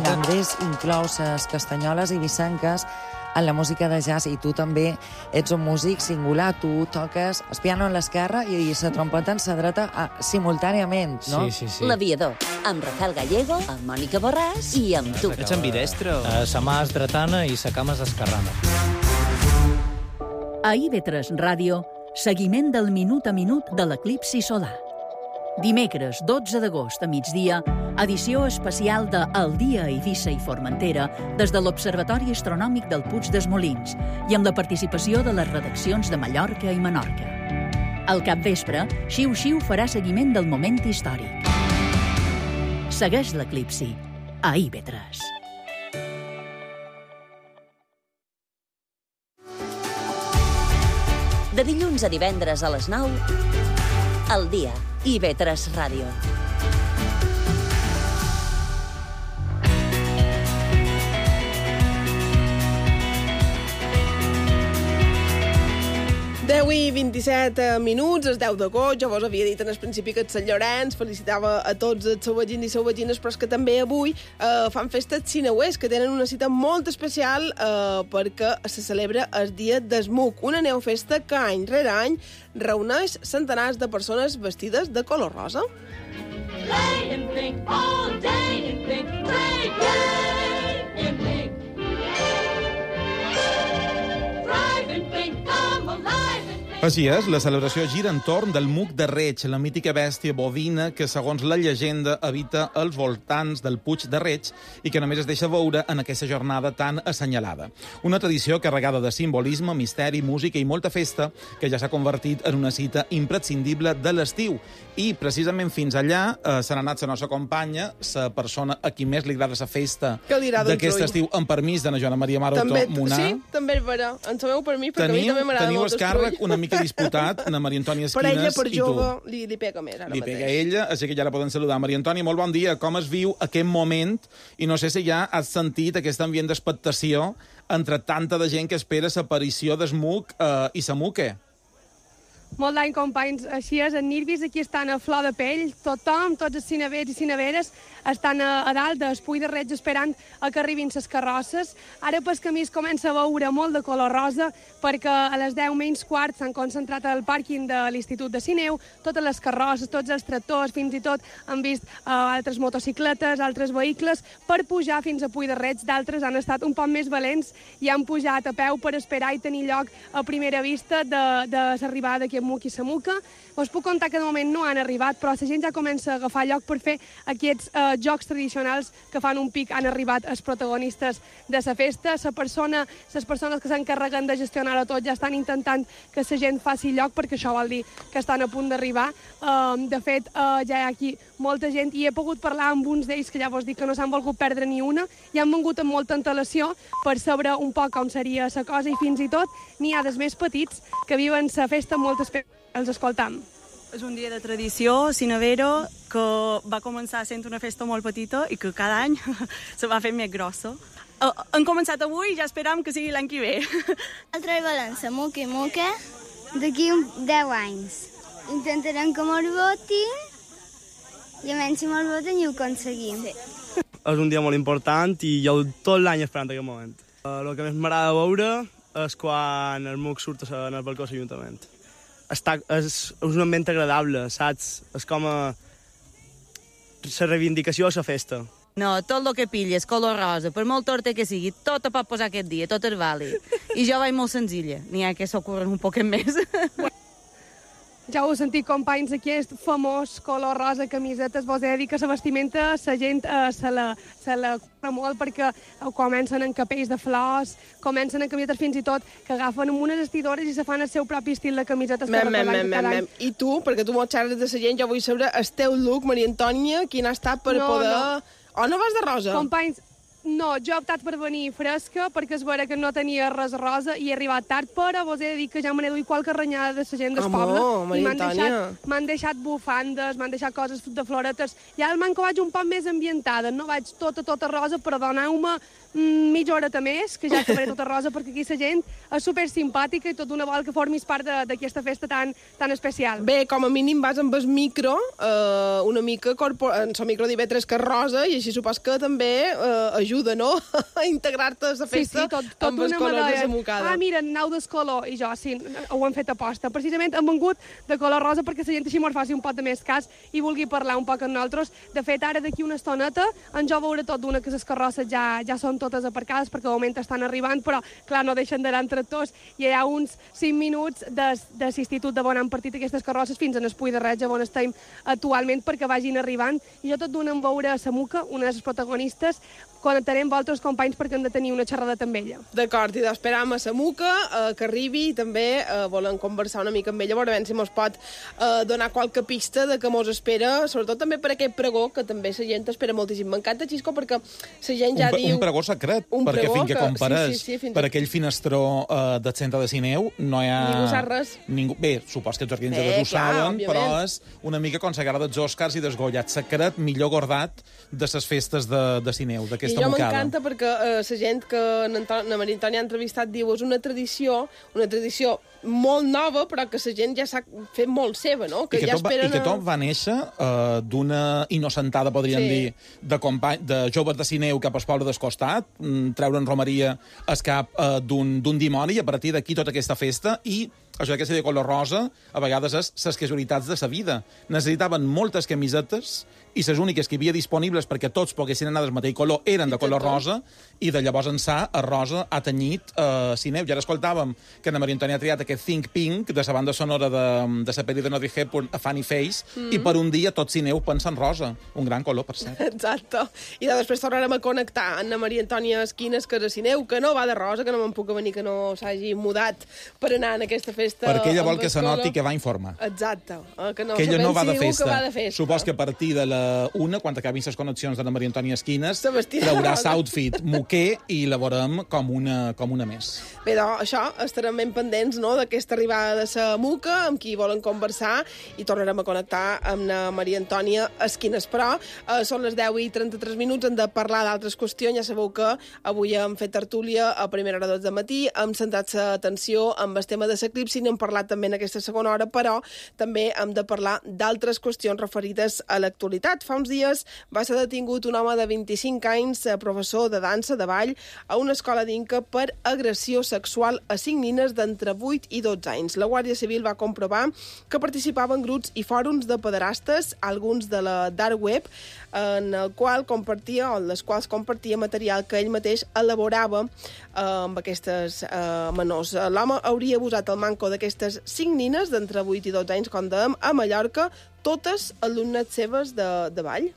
Andrés inclou les castanyoles eivissenques en la música de jazz i tu també ets un músic singular. Tu toques el piano en l'esquerra i la trompeta en la dreta a, simultàniament, no? Sí, sí, sí. L'Aviador, amb Rafael Gallego, amb Mònica Borràs i amb tu. Ets ambidestre? Uh, sa mà és dretana i sa cama és esquerrana. A I V tres Ràdio, seguiment del minut a minut de l'eclipsi solar. Dimecres, dotze d'agost a migdia, edició especial de El dia a Eivissa i Formentera des de l'Observatori Astronòmic del Puig dels Molins i amb la participació de les redaccions de Mallorca i Menorca. Al capvespre, Xiu Xiu farà seguiment del moment històric. Segueix l'eclipsi a I V tres. De dilluns a divendres a les nou, El dia, I V tres Ràdio. deu i vint-i-set minuts, és deu d'agost, jo vos havia dit en el principi que el Sant Llorenç felicitava a tots els sauvagins i sauvagines, però és que també avui eh, fan festes sineuers, que tenen una cita molt especial eh, perquè se celebra el dia d'Esmuc, una neofesta que any rere any reuneix centenars de persones vestides de color rosa. Play and think all day and think, play, play and think. Thrive and think, come alive and think. Així és, la celebració gira entorn del Muc de Reig, la mítica bèstia bovina que, segons la llegenda, habita als voltants del Puig de Reig i que només es deixa veure en aquesta jornada tan assenyalada. Una tradició carregada de simbolisme, misteri, música i molta festa que ja s'ha convertit en una cita imprescindible de l'estiu. I, precisament, fins allà eh, se n'ha anat la nostra companya, la persona a qui més li agrada la festa d'aquest estiu, amb permís de na Joana Maria Maroto Munar. Sí, també és vera. En sabeu per mi, perquè teniu, a mi també m'agrada teniu molt el càrrec una mica disputat, na Maria Antònia Esquines per ella, per i tu. jove, li, li pega més ara li mateix. pega a ella, així que ja la poden saludar. Maria Antònia, molt bon dia. Com es viu aquest moment? I no sé si ja has sentit aquest ambient d'expectació entre tanta de gent que espera l'aparició d'Esmuc eh, i Samuque. Molt d'any, companys. Així és, en Nirvis aquí estan a flor de pell. Tothom, tots els cinevers i cineveres, estan a, a dalt del Puig de Reig esperant a que arribin les carrosses. Ara pel camí es comença a veure molt de color rosa perquè a les deu menys quart s'han concentrat al pàrquing de l'Institut de Sineu, totes les carrosses, tots els tractors, fins i tot han vist uh, altres motocicletes, altres vehicles, per pujar fins a Puig de Reig. D'altres han estat un poc més valents i han pujat a peu per esperar i tenir lloc a primera vista de, de l'arribada d'aquí a Muc i Samuca. Us puc contar que de moment no han arribat, però la gent ja comença a agafar lloc per fer aquests eh, jocs tradicionals que fan un pic. Han arribat els protagonistes de la festa. La persona, les persones que s'encarreguen de gestionar-ho tot ja estan intentant que la gent faci lloc, perquè això vol dir que estan a punt d'arribar. Uh, de fet, uh, ja hi ha aquí molta gent i he pogut parlar amb uns d'ells que ja vos dic que no s'han volgut perdre ni una i han vengut amb molta antelació per saber un poc com seria la cosa i fins i tot n'hi ha dels més petits que viven la festa amb moltes pe... els escoltam. És un dia de tradició, Cinevero, que va començar sent una festa molt petita i que cada any se va fer més grossa. Uh, han començat avui i ja esperam que sigui l'any que ve. Nosaltres volem la Muca i Muca d'aquí deu anys. Intentarem que mos votin i a menys si mos voten i ho aconseguim. Sí. És un dia molt important i jo tot l'any esperant aquest moment. Uh, el que més m'agrada veure és quan el Muc surt en el balcó de l'Ajuntament. Està, és, és un ambient agradable, saps? És com a la reivindicació de la festa. No, tot el que pilles, color rosa, per molt torta que sigui, tot ho pot posar aquest dia, tot és vàlid. I jo vaig molt senzilla, n'hi ha que s'ocorren un poquet més. Ja ho heu sentit, companys, aquest famós color rosa camisetes. Vos he de dir que la vestimenta la gent eh, se la, se la cura molt perquè comencen en capells de flors, comencen en camisetes fins i tot que agafen amb unes vestidores i se fan el seu propi estil de camisetes. Mem, mem, mem, mem, mem. I tu, perquè tu molt xerres de la gent, jo vull saber el teu look, Maria Antònia, quin ha estat per no, poder... No. Oh, no vas de rosa? Companys, no, jo he optat per venir fresca perquè és vera que no tenia res rosa i he arribat tard, però vos he de dir que ja me n'he duit qualque renyada de la gent del poble i m'han deixat, m'han deixat bufandes, m'han deixat coses de floretes. Ja el manco vaig un poc més ambientada, no vaig tota, tota rosa, però doneu-me mm, mitja horeta més, que ja acabaré tota rosa, perquè aquí la gent és super simpàtica i tot una vol que formis part d'aquesta festa tan, tan especial. Bé, com a mínim vas amb el micro, eh, una mica corpor... en el micro d'I V tres que és rosa, i així supos que també eh, ajuda, no?, a integrar-te a la festa. Sí, sí, tot, tot amb els una colors medalla. de Samucada. Ah, mira, nau d'escolor, i jo, sí, ho han fet aposta. Precisament hem vengut de color rosa perquè la gent així mos faci un pot de més cas i vulgui parlar un poc amb nosaltres. De fet, ara d'aquí una estoneta en jo veuré tot d'una que les carrosses ja, ja són totes aparcades perquè de moment estan arribant, però clar, no deixen d'anar en tractors i hi ha uns cinc minuts de, de l'institut de on han partit aquestes carrosses fins en el Puig de Reig, on estem actualment, perquè vagin arribant. I jo tot d'una em veuré a Samuca, una de les protagonistes, connectarem vosaltres, companys, perquè hem de tenir una xerrada amb ella. D'acord, i d'esperam a Samuca eh, que arribi i també eh, volem conversar una mica amb ella, veure si mos pot eh, donar qualque pista de que mos espera, sobretot també per aquest pregó, que també la gent espera moltíssim. M'encanta, Xisco, perquè la gent ja un, diu... Un pregó secret, un perquè pregó fins que, que compares sí, sí, sí, per a... aquell finestró eh, del centre de Sineu, no hi ha... Ningú sap res. Ningú... Bé, supos que els organitzadors ho saben, però és una mica com la gala dels Oscars i desgollat secret millor gordat de les festes de, de Sineu, d'aquesta mocada. I jo m'encanta perquè eh, la gent que na Maria Antònia ha entrevistat diu és una tradició, una tradició molt nova, però que la gent ja s'ha fet molt seva, no? Que I, que ja tot va, I que tot va néixer uh, d'una innocentada, podríem sí. dir, de, company, de joves de Sineu cap al poble del costat, mm, treure'n romeria al cap uh, d'un dimoni, i a partir d'aquí tota aquesta festa, i això que sigui de color rosa, a vegades és les casualitats de la vida. Necessitaven moltes camisetes i les úniques que hi havia disponibles perquè tots poguessin anar del mateix color eren de color rosa, i de llavors ençà el rosa ha tenyit eh, cineu. I ara escoltàvem que la Maria Antònia ha triat aquest Think Pink de la banda sonora de, de la pel·li de Audrey Hepburn, A Funny Face, mm. i per un dia tot cineu pensa en rosa. Un gran color, per cert. Exacte. I després tornarem a connectar amb la Maria Antònia Esquines, que és a cineu, que no va de rosa, que no me'n puc venir, que no s'hagi mudat per anar en aquesta festa. Perquè ella vol que se noti que va informar. Exacte. Eh, que no, que ella no va de, va de festa. Supos que a partir de la una, quan acabin les connexions de la Maria Antònia Esquines, traurà l'outfit moquer i la veurem com una, com una més. Bé, doncs, això, estarem ben pendents, no?, d'aquesta arribada de la Muca, amb qui volen conversar, i tornarem a connectar amb la Maria Antònia Esquines. Però eh, són les deu i trenta-tres minuts, hem de parlar d'altres qüestions. Ja sabeu que avui hem fet tertúlia a primera hora de matí, hem centrat l'atenció amb el tema de l'eclipsi, n'hem parlat també en aquesta segona hora, però també hem de parlar d'altres qüestions referides a l'actualitat. Fa uns dies va ser detingut un home de vint-i-cinc anys, professor de dansa, de ball, a una escola d'Inca per agressió sexual a cinc nines d'entre vuit i dotze anys. La Guàrdia Civil va comprovar que participava en grups i fòrums de pederastes, alguns de la dark web, en el qual compartia, o en les quals compartia material que ell mateix elaborava eh, amb aquestes eh, menors. L'home hauria abusat el manco d'aquestes cinc nines d'entre vuit i dotze anys, com dèiem, a Mallorca, totes alumnes seves de, de ball.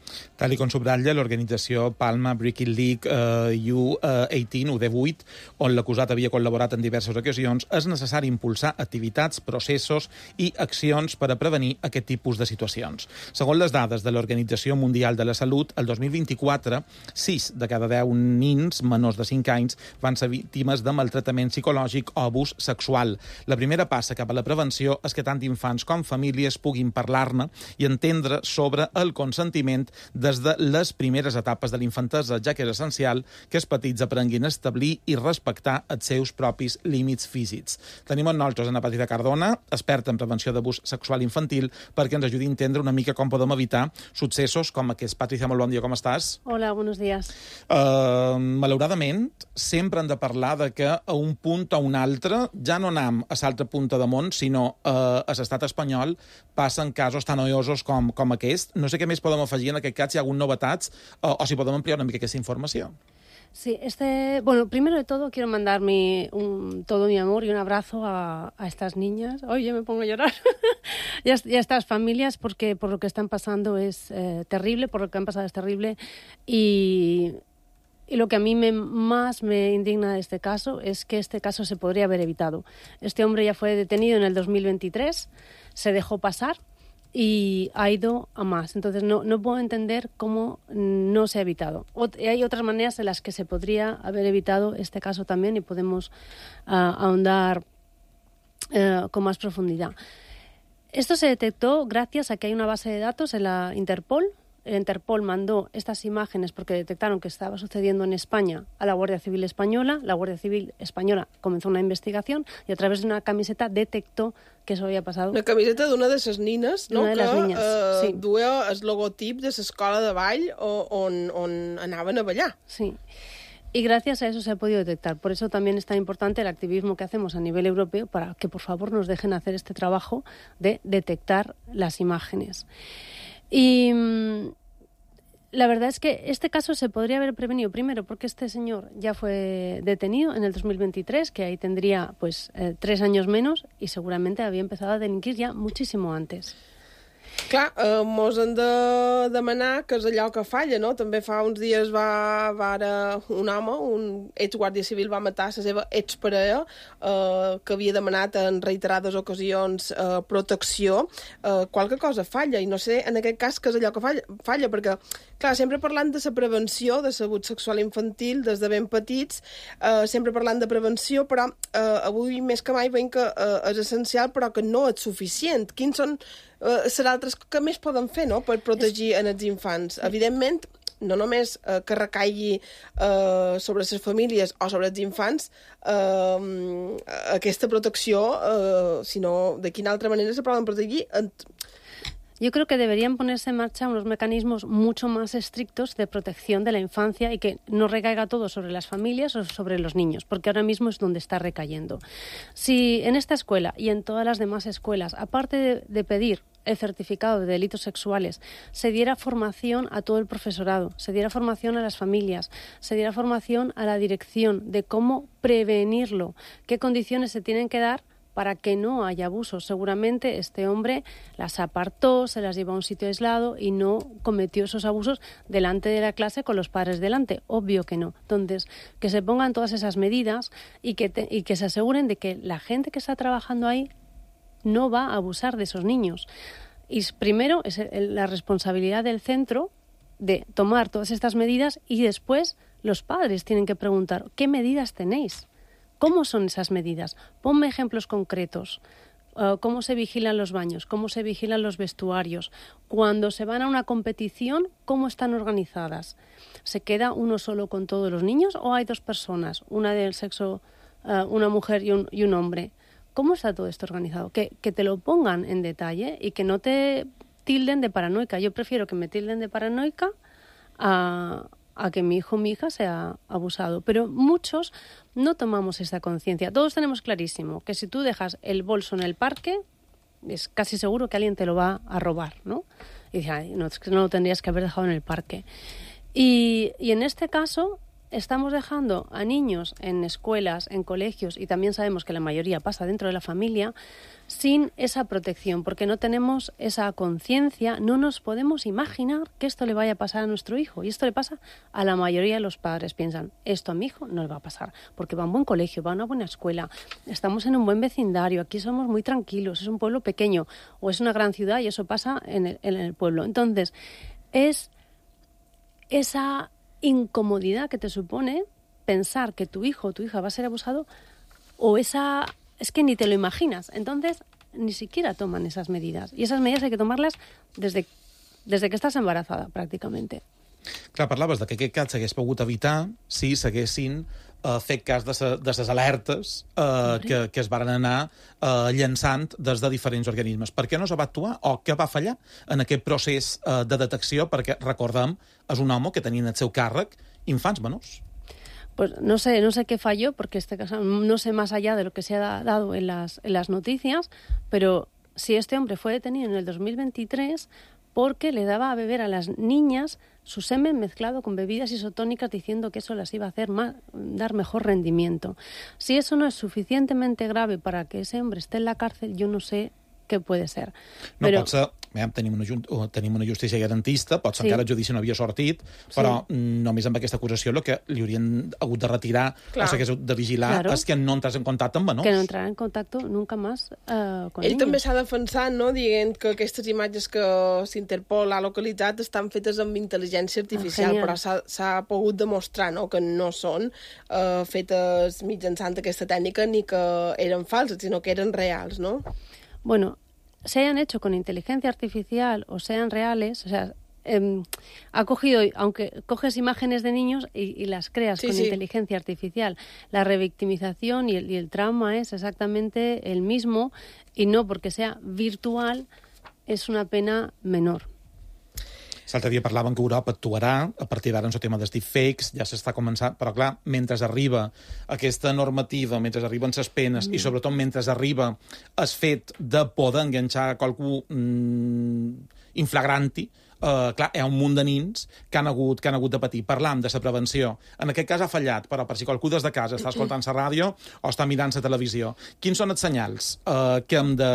Tal com subratlla l'organització Palma Breaking League eh, U divuit, U divuit, on l'acusat havia col·laborat en diverses ocasions, és necessari impulsar activitats, processos i accions per a prevenir aquest tipus de situacions. Segons les dades de l'Organització Mundial de la Salut, el dos mil vint-i-quatre, sis de cada deu nins menors de cinc anys van ser víctimes de maltractament psicològic o abús sexual. La primera passa cap a la prevenció és que tant infants com famílies puguin parlar-ne i entendre sobre el consentiment des de les primeres etapes de l'infantesa, ja que és essencial que els petits aprenguin a establir i respectar els seus propis límits físics. Tenim amb nosaltres Ana Patita Cardona, experta en prevenció d'abús sexual infantil, perquè ens ajudi a entendre una mica com podem evitar successos com aquests. Patricia, molt bon dia, com estàs? Hola, buenos días. Uh, malauradament, sempre hem de parlar de que a un punt o un altre ja no anem a l'altra punta de món, sinó uh, a l'estat espanyol passen casos tan noiosos com, com aquest. No sé què més podem afegir en aquest cas, si hi ha alguna novetats, o, o si podem ampliar una mica aquesta informació. Sí, este, bueno, primero de todo quiero mandar mi, un, todo mi amor y un abrazo a, a estas niñas. Oye, me pongo a llorar. y, a, y a estas familias, porque por lo que están pasando es eh, terrible, por lo que han pasado es terrible. Y, y lo que a mí me, más me indigna de este caso es que este caso se podría haber evitado. Este hombre ya fue detenido en el dos mil veintitrés, se dejó pasar y ha ido a más. Entonces no, no puedo entender cómo no se ha evitado. Ot- hay otras maneras en las que se podría haber evitado este caso también y podemos uh, ahondar uh, con más profundidad. Esto se detectó gracias a que hay una base de datos en la Interpol. El Interpol mandó estas imágenes porque detectaron que estaba sucediendo en España a la Guardia Civil Española. La Guardia Civil Española comenzó una investigación y a través de una camiseta detectó que eso había pasado. Una camiseta d'una de les nines, no? Una de les que niñas, eh, sí. duia el logotip de l'escola de ball on, on anaven a ballar. Sí. Y gracias a eso se ha podido detectar. Por eso también es tan importante el activismo que hacemos a nivel europeo para que, por favor, nos dejen hacer este trabajo de detectar las imágenes. Y mmm, la verdad es que este caso se podría haber prevenido primero porque este señor ya fue detenido en el dos mil veintitrés, que ahí tendría pues eh, tres años menos y seguramente había empezado a delinquir ya muchísimo antes. Clar, eh, mos hem de demanar que és allò que falla, no? També fa uns dies va, va ara un home, un exguàrdia civil, va matar la seva exparella, eh, que havia demanat en reiterades ocasions eh, protecció. Eh, qualque cosa falla, i no sé en aquest cas que és allò que falla, falla perquè, clar, sempre parlant de la prevenció de l'abús sexual infantil des de ben petits, eh, sempre parlant de prevenció, però eh, avui més que mai veiem que eh, és essencial, però que no és suficient. Quins són Uh, serà altres que més poden fer, no?, per protegir en els infants. Evidentment, no només uh, que recaigui uh, sobre les famílies o sobre els infants uh, aquesta protecció, uh, sinó de quina altra manera se poden protegir. Yo creo que deberían ponerse en marcha unos mecanismos mucho más estrictos de protección de la infancia y que no recaiga todo sobre las familias o sobre los niños, porque ahora mismo es donde está recayendo. Si en esta escuela y en todas las demás escuelas, aparte de, de pedir el certificado de delitos sexuales, se diera formación a todo el profesorado, se diera formación a las familias, se diera formación a la dirección de cómo prevenirlo, qué condiciones se tienen que dar para que no haya abusos. Seguramente este hombre las apartó, se las llevó a un sitio aislado y no cometió esos abusos delante de la clase con los padres delante. Obvio que no. Entonces, que se pongan todas esas medidas y que, te, y que se aseguren de que la gente que está trabajando ahí no va a abusar de esos niños. Y primero es la responsabilidad del centro de tomar todas estas medidas y después los padres tienen que preguntar ¿qué medidas tenéis? ¿Cómo son esas medidas? Ponme ejemplos concretos. Uh, ¿Cómo se vigilan los baños? ¿Cómo se vigilan los vestuarios? Cuando se van a una competición, ¿cómo están organizadas? ¿Se queda uno solo con todos los niños o hay dos personas? Una del sexo, uh, una mujer y un, y un hombre. ¿Cómo está todo esto organizado? Que, que te lo pongan en detalle y que no te tilden de paranoica. Yo prefiero que me tilden de paranoica a... a que mi hijo o mi hija sea abusado. Pero muchos no tomamos esta conciencia. Todos tenemos clarísimo que si tú dejas el bolso en el parque, es casi seguro que alguien te lo va a robar, ¿no? Y dices, ay, no, es que no lo tendrías que haber dejado en el parque. Y, y en este caso estamos dejando a niños en escuelas, en colegios, y también sabemos que la mayoría pasa dentro de la familia, sin esa protección, porque no tenemos esa conciencia, no nos podemos imaginar que esto le vaya a pasar a nuestro hijo. Y esto le pasa a la mayoría de los padres. Piensan, esto a mi hijo no le va a pasar, porque va a un buen colegio, va a una buena escuela, estamos en un buen vecindario, aquí somos muy tranquilos, es un pueblo pequeño, o es una gran ciudad y eso pasa en el, en el pueblo. Entonces, es esa incomodidad que te supone pensar que tu hijo o tu hija va a ser abusado, o esa... es que ni te lo imaginas. Entonces, ni siquiera toman esas medidas. I esas medidas hay que tomarlas desde, desde que estàs embarazada, pràcticament. Clar, parlaves de que aquest cas s'hagués pogut evitar si s'haguessin uh, fet cas de, sa, de les alertes uh, que, que es van anar uh, llançant des de diferents organismes. Per què no es va actuar o què va fallar en aquest procés uh, de detecció? Perquè, recordem, és un home que tenia en el seu càrrec infants menors. Pues no sé, no sé qué falló, porque este caso no sé más allá de lo que se ha dado en las, en las noticias, pero si este hombre fue detenido en el dos mil veintitrés porque le daba a beber a las niñas su semen mezclado con bebidas isotónicas diciendo que eso las iba a hacer más, dar mejor rendimiento. Si eso no es suficientemente grave para que ese hombre esté en la cárcel, yo no sé què puede ser. No Però... pot ser, eh, tenim, una, tenim una justícia garantista, pot ser sí. encara el judici no havia sortit, però sí. només amb aquesta acusació el que li haurien hagut de retirar Clar. o s'hagués de vigilar claro. és que no entràs en contacte amb menors. Que no entrarà en contacte nunca més uh, con Ell niños. també s'ha defensat, no?, dient que aquestes imatges que s'Interpol ha localitzat estan fetes amb intel·ligència artificial, ah, però s'ha pogut demostrar, no?, que no són uh, fetes mitjançant aquesta tècnica ni que eren falses, sinó que eren reals, no? Bueno, se hayan hecho con inteligencia artificial o sean reales, o sea, eh, ha cogido, aunque coges imágenes de niños y, y las creas sí, con sí. inteligencia artificial, la revictimización y el, y el trauma es exactamente el mismo, y no porque sea virtual es una pena menor. L'altre dia parlaven que Europa actuarà a partir d'ara en el tema dels deepfakes, ja s'està començant, però clar, mentre arriba aquesta normativa, mentre arriben les penes mm. i sobretot mentre arriba el fet de poder enganxar qualcú mm, inflagranti, Uh, clar, hi ha un munt de nins que han hagut, que han hagut de patir. Parlam de la prevenció. En aquest cas ha fallat, però per si qualcú des de casa està escoltant la ràdio o està mirant la televisió, quins són els senyals uh, que hem de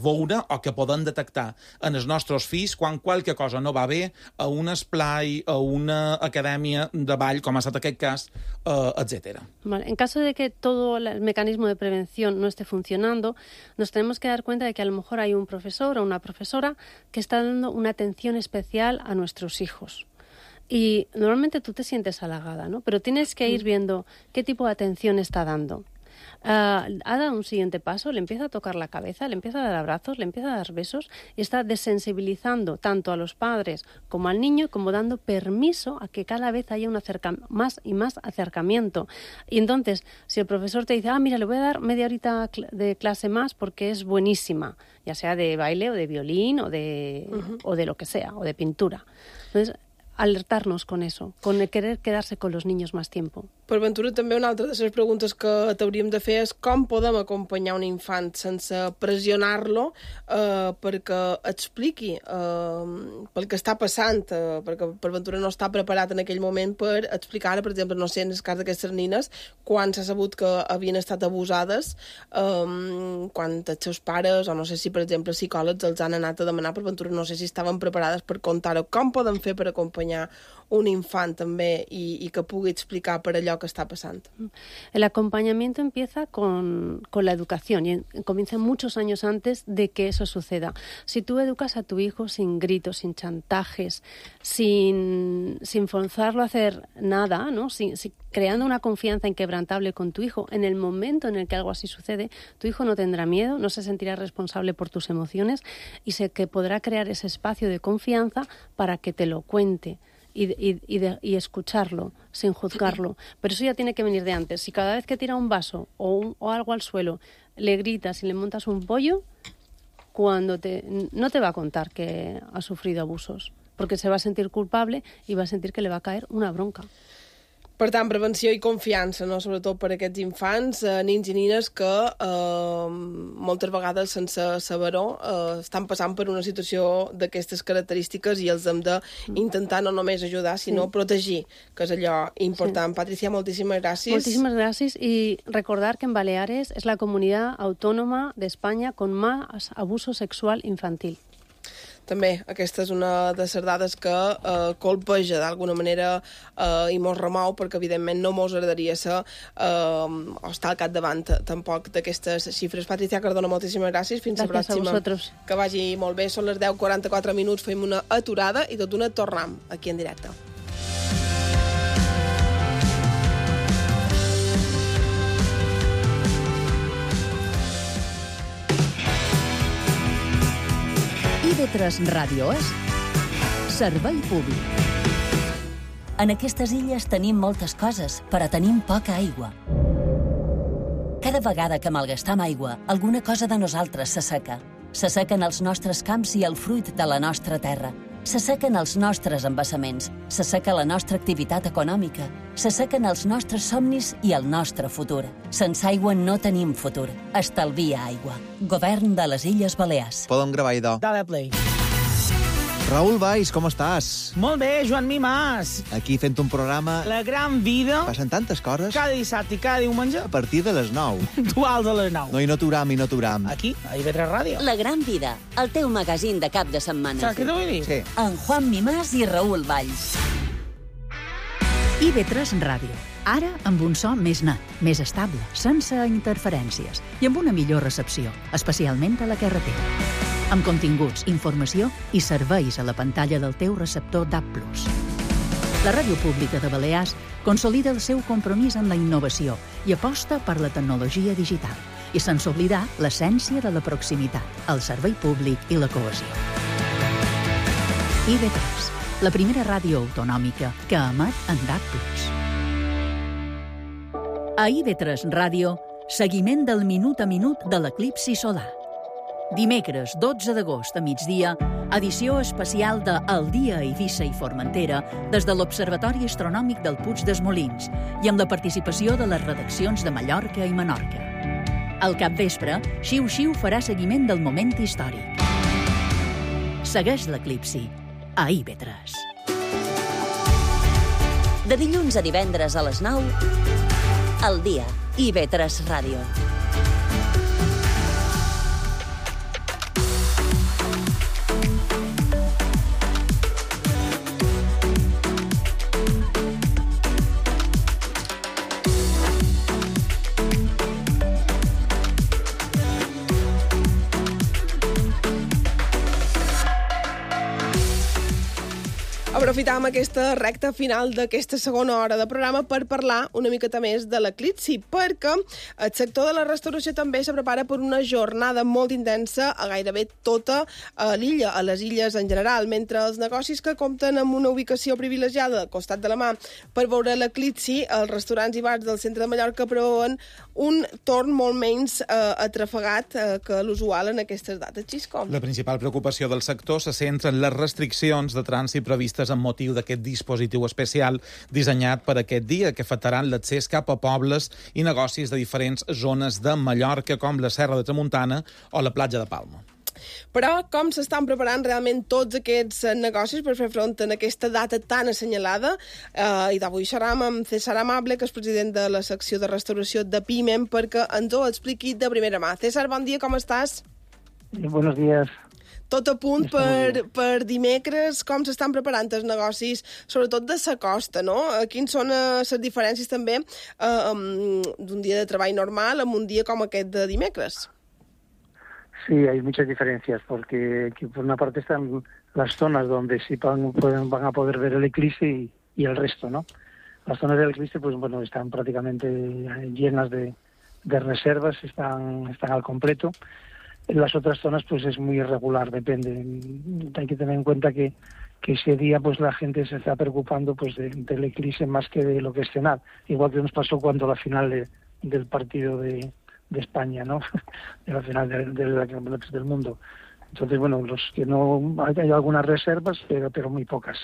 veure o que podem detectar en els nostres fills quan qualque cosa no va bé a un esplai, a una acadèmia de ball, com ha estat aquest cas, uh, etcétera. Vale. En caso de que todo el mecanismo de prevención no esté funcionando, nos tenemos que dar cuenta de que a lo mejor hay un profesor o una profesora que está dando una atención especial a nuestros hijos. Y normalmente tú te sientes halagada, ¿no? Pero tienes que ir viendo qué tipo de atención está dando. uh, ha dado un siguiente paso, le empieza a tocar la cabeza, le empieza a dar abrazos, le empieza a dar besos y está desensibilizando tanto a los padres como al niño, como dando permiso a que cada vez haya un acerca- más y más acercamiento. Y entonces, si el profesor te dice, ah, mira, le voy a dar media horita de clase más porque es buenísima, ya sea de baile o de violín o de, uh-huh. o de lo que sea, o de pintura. Entonces, alertar-nos con eso, con el querer quedarse con los niños más tiempo. Per Ventura, també una altra de les preguntes que t'hauríem de fer és com podem acompanyar un infant sense pressionar-lo eh, perquè expliqui eh, pel que està passant, eh, perquè per Ventura no està preparat en aquell moment per explicar, per exemple, no sé, en el cas d'aquestes nines, quan s'ha sabut que havien estat abusades, eh, quan els seus pares, o no sé si, per exemple, psicòlegs els han anat a demanar, per Ventura no sé si estaven preparades per contar-ho. Com podem fer per acompanyar un infant també i, i que pugui explicar per allò que está pasando? El acompañamiento empieza con, con la educación y comienza muchos años antes de que eso suceda. Si tú educas a tu hijo sin gritos, sin chantajes, sin, sin forzarlo a hacer nada, ¿no? Sin, sin, creando una confianza inquebrantable con tu hijo, en el momento en el que algo así sucede, tu hijo no tendrá miedo, no se sentirá responsable por tus emociones y sé que podrá crear ese espacio de confianza para que te lo cuente. Y, y, y, de, y escucharlo sin juzgarlo. Pero eso ya tiene que venir de antes. Si cada vez que tira un vaso o, un, o algo al suelo le gritas y le montas un pollo, cuando te, no te va a contar que ha sufrido abusos, porque se va a sentir culpable y va a sentir que le va a caer una bronca. Per tant, prevenció i confiança, no? Sobretot per a aquests infants, eh, nins i nines que eh, moltes vegades, sense saber-ho, eh, estan passant per una situació d'aquestes característiques i els hem d'intentar no només ajudar, sinó sí. protegir, que és allò important. Sí. Patricia, moltíssimes gràcies. Muchísimas gracias y recordar que en Baleares es la comunidad autónoma de España con más abuso sexual infantil. També aquesta és una de les dades que eh, colpeja d'alguna manera eh, i mos remou, perquè evidentment no mos agradaria ser eh, o estar al capdavant tampoc d'aquestes xifres. Patricia Cardona, moltíssimes gràcies. Fins gràcies la pròxima. A vosaltres. Que vagi molt bé. Són les deu quaranta-quatre minuts, fem una aturada i tot d'una tornem aquí en directe. I V tres Ràdio és servei públic. En aquestes illes tenim moltes coses, però tenim poca aigua. Cada vegada que malgastam aigua, alguna cosa de nosaltres s'asseca. S'assequen els nostres camps i el fruit de la nostra terra. S'assequen els nostres embassaments. S'asseca la nostra activitat econòmica. S'assequen els nostres somnis i el nostre futur. Sense aigua no tenim futur. Estalvia aigua. Govern de les Illes Balears. Podem gravar, idò. Dale play. Raül Valls, com estàs? Molt bé, Joan Mimàs. Aquí fent un programa... La gran vida. Passen tantes coses. Cada dissabte i cada diumenge. A partir de les nou. Puntuals a les nou. No, i no t'uram, i no t'uram. Aquí, a I V tres Ràdio. La gran vida, el teu magazín de cap de setmana. Saps què t'ho vull dir? Sí. En Juan Mimàs i Raül Valls. I V tres Ràdio. Ara amb un so més net, més estable, sense interferències i amb una millor recepció, especialment a la carretera. Amb continguts, informació i serveis a la pantalla del teu receptor D A B plus. La Ràdio Pública de Balears consolida el seu compromís en la innovació i aposta per la tecnologia digital i sense oblidar l'essència de la proximitat, el servei públic i la cohesió. I V tres, la primera ràdio autonòmica que emet en D A B plus. A I V tres Ràdio, seguiment del minut a minut de l'eclipsi solar. Dimecres, dotze d'agost a migdia, edició especial de El dia a Eivissa i Formentera des de l'Observatori Astronòmic del Puig dels Molins i amb la participació de les redaccions de Mallorca i Menorca. Al capvespre, Xiu Xiu farà seguiment del moment històric. Segueix l'eclipsi a I V tres. De dilluns a divendres a les nou, El dia, I V tres Ràdio. Aprofitam aquesta recta final d'aquesta segona hora de programa per parlar una miqueta més de l'eclipsi, perquè el sector de la restauració també se prepara per una jornada molt intensa a gairebé tota l'illa, a les illes en general, mentre els negocis que compten amb una ubicació privilegiada al costat de la mà per veure l'eclipsi, els restaurants i bars del centre de Mallorca preveuen un torn molt menys eh, atrafegat eh, que l'usual en aquestes dates. Xisco. La principal preocupació del sector se centra en les restriccions de trànsit previstes amb motiu d'aquest dispositiu especial dissenyat per aquest dia, que afectaran l'accés cap a pobles i negocis de diferents zones de Mallorca, com la Serra de Tramuntana o la platja de Palma. Però com s'estan preparant realment tots aquests negocis per fer front en aquesta data tan assenyalada? Eh, I d'avui serem amb César Amable, que és president de la secció de restauració de PIMEM, perquè ens ho expliqui de primera mà. César, bon dia, com estàs? Buenos días. Tot a punt per, per dimecres, com s'estan preparant els negocis, sobretot de sa costa, no? Quins són les diferències també eh, d'un dia de treball normal amb un dia com aquest de dimecres? Sí, hay muchas diferencias, porque por una parte están las zonas donde sí van, pueden, van a poder ver el eclipse y, y el resto, ¿no? Las zonas del eclipse, pues bueno, están prácticamente llenas de, de reservas, están, están al completo. En las otras zonas pues es muy irregular, depende. Hay que tener en cuenta que, que ese día pues la gente se está preocupando pues de, del eclipse más que de lo que es cenar. Igual que nos pasó cuando la final de, del partido de, de España, ¿no? De la final de, de la Campeonatos del Mundo. Entonces, bueno, los que no... Hay, hay algunas reservas, pero, pero muy pocas.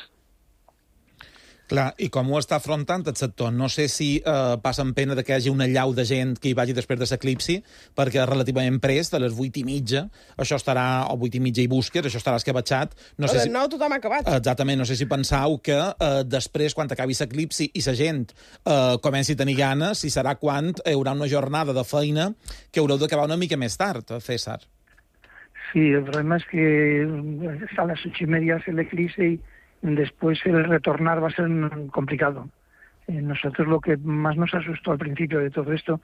Clar, i com ho està afrontant el sector? No sé si eh, passen pena de que hi hagi una llau de gent que hi vagi després de l'eclipsi, perquè relativament prest, a les vuit i mitja, això estarà, o vuit i mitja i busques, això estarà escabatxat. No a sé les si... nou tothom ha acabat. Exactament, no sé si pensau que eh, després, quan acabi l'eclipsi i la gent eh, comenci a tenir ganes, si serà quan hi haurà una jornada de feina que haureu d'acabar una mica més tard, César. Sí, el problema es que a las ocho y media es el eclipse y después el retornar va a ser complicado. Eh, nosotros lo que más nos asustó al principio de todo esto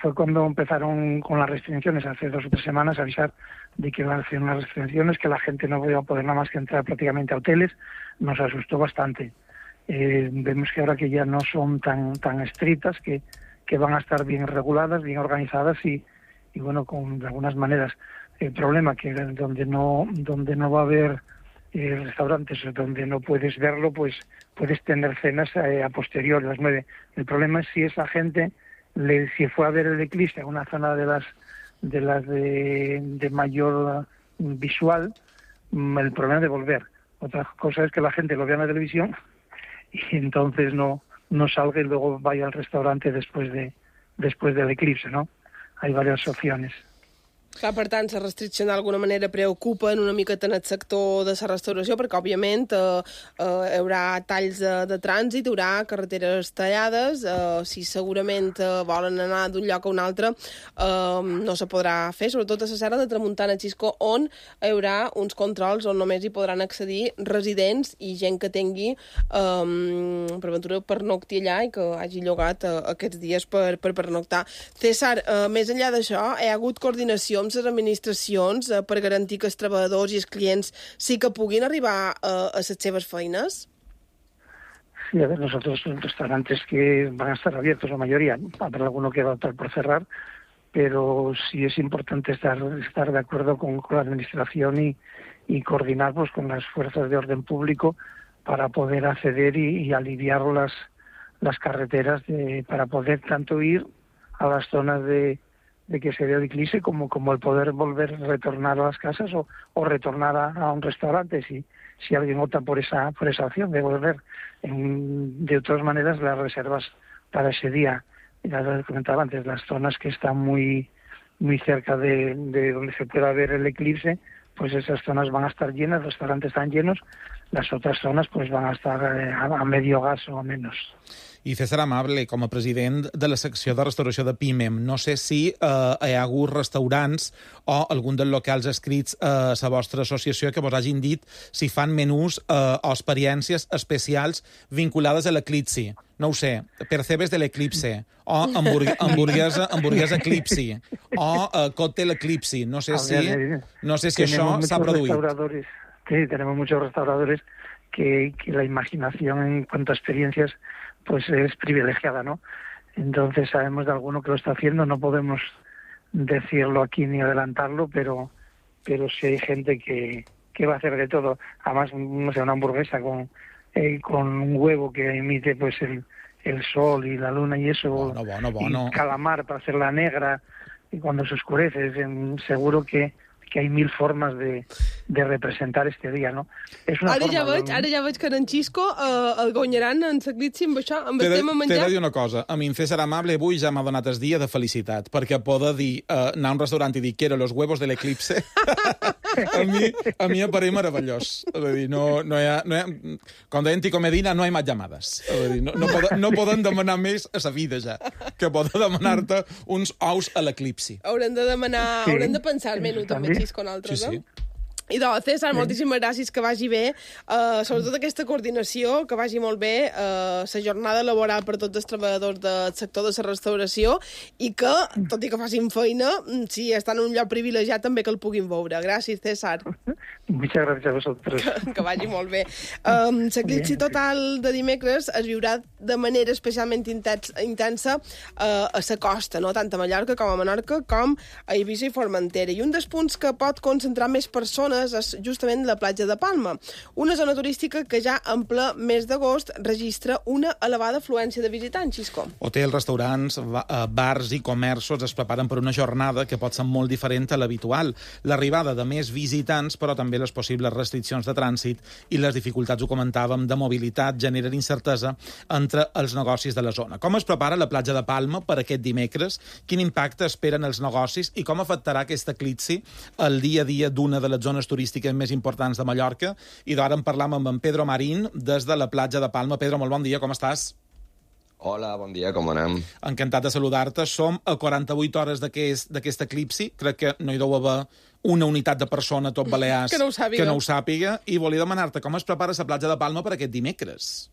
fue cuando empezaron con las restricciones hace dos o tres semanas a avisar de que iban a hacer unas restricciones, que la gente no iba a poder nada más que entrar prácticamente a hoteles. Nos asustó bastante. Eh, vemos que ahora que ya no son tan tan estrictas, que, que van a estar bien reguladas, bien organizadas y, y bueno, con de algunas maneras. El problema que donde no donde no va a haber Eh, restaurantes donde no puedes verlo, pues puedes tener cenas eh, a posteriori, a las nueve. El problema es si esa gente, le, si fue a ver el eclipse a una zona de las de las de, de mayor uh, visual, mm, el problema de volver. Otra cosa es que la gente lo vea en la televisión y entonces no no salga y luego vaya al restaurante después de después del eclipse, ¿no? Hay varias opciones. Clar, per tant, la restricció d'alguna manera preocupa una miqueta en el sector de la restauració, perquè, òbviament, eh, eh, hi haurà talls de, de trànsit, hi haurà carreteres tallades, eh, si segurament eh, volen anar d'un lloc a un altre, eh, no se podrà fer, sobretot a la Serra de Tramuntana, Xisco, on hi haurà uns controls on només hi podran accedir residents i gent que tingui eh, per aventura pernocti allà i que hagi llogat eh, aquests dies per, per pernoctar. César, eh, més enllà d'això, hi ha hagut coordinació amb les administracions eh, per garantir que els treballadors i els clients sí que puguin arribar eh, a les seves feines? Sí, a ver, nosotros son restaurantes que van a estar abiertos, la mayoría, habrá alguno que va a estar por cerrar, pero sí es importante estar, estar de acuerdo con, con la administración y, y coordinar pues, con las fuerzas de orden público para poder acceder y, y aliviar las, las carreteras de, para poder tanto ir a las zonas de de que se vea el eclipse como, como el poder volver a retornar a las casas o, o retornar a, a un restaurante si, si alguien opta por esa, por esa opción de volver. En, de todas maneras, las reservas para ese día, ya lo comentaba antes, las zonas que están muy, muy cerca de, de donde se pueda ver el eclipse, pues esas zonas van a estar llenas, los restaurantes están llenos, las otras zonas pues van a estar a, a medio gas o menos. I César Amable, com a president de la secció de restauració de PIMEM, no sé si eh, hi ha hagut restaurants o algun dels locals escrits a la vostra associació que vos hagin dit si fan menús eh, o experiències especials vinculades a l'eclipsi. No ho sé, percebes de l'eclipse, o hamburg hamburguesa, hamburguesa eclipsi, o eh, còctel eclipsi. No sé si, no sé si això s'ha produït. Sí, tenemos muchos restauradores que, que la imaginación en cuanto a experiencias pues es privilegiada, ¿no? Entonces sabemos de alguno que lo está haciendo, no podemos decirlo aquí ni adelantarlo, pero pero sí hay gente que, que va a hacer de todo. Además, no sé, una hamburguesa con eh, con un huevo que emite pues el, el sol y la luna y eso, bueno, bueno, bueno. y calamar para hacerla negra y cuando se oscurece, es, en, seguro que que hay mil formas de, de representar este dia, no? És una ara, forma ja veig, de... ara ja veig que en Xisco eh, el guanyaran en Saglitsi amb això, amb el tema menjar. T'he de dir una cosa, a mi en César Amable avui ja m'ha donat el dia de felicitat, perquè poder dir, uh, anar a un restaurant i dir quiero los huevos del eclipse, a mi, a mi em pareix meravellós. És a dir, no, no hi ha, no hi ha, com deien Tico Medina, no hi ha més llamades. És a dir, no, no, poden, no poden demanar més a sa vida ja, que poden demanar-te uns ous a l'eclipsi. Haurem de demanar, Sí, haurem de pensar-me-ho també, Xisco, nosaltres, Sí, sí. no? I de César, moltíssimes gràcies, que vagi bé. Uh, sobretot aquesta coordinació, que vagi molt bé, uh, la jornada laboral per tots els treballadors del sector de la restauració i que, tot i que facin feina, si estan en un lloc privilegiat, també que el puguin veure. Gràcies, César. Muchas gracias a vosotros. Que, que vagi molt bé. Um, L'eclipsi total de dimecres es viurà de manera especialment intens, intensa uh, a la costa, no? Tant a Mallorca com a Menorca, com a Eivissa i Formentera. I un dels punts que pot concentrar més persones és justament la platja de Palma, una zona turística que ja en ple mes d'agost registra una elevada afluència de visitants, Xisco. Hotels, restaurants, bars i comerços es preparen per una jornada que pot ser molt diferent a l'habitual. L'arribada de més visitants, però també les possibles restriccions de trànsit i les dificultats, ho comentàvem, de mobilitat generen incertesa entre els negocis de la zona. Com es prepara la platja de Palma per aquest dimecres? Quin impacte esperen els negocis i com afectarà aquest eclipsi el dia a dia d'una de les zones turístiques més importants de Mallorca? I d'ara en parlam amb en Pedro Marín des de la platja de Palma. Pedro, molt bon dia, com estàs? Hola, bon dia, com anem? Encantat de saludar-te. Som a quaranta-vuit hores d'aquest eclipsi. Crec que no hi deu haver una unitat de persona a tot Balears que no ho sàpiga. que no ho sàpiga. I volia demanar-te com es prepara la platja de Palma per aquest dimecres.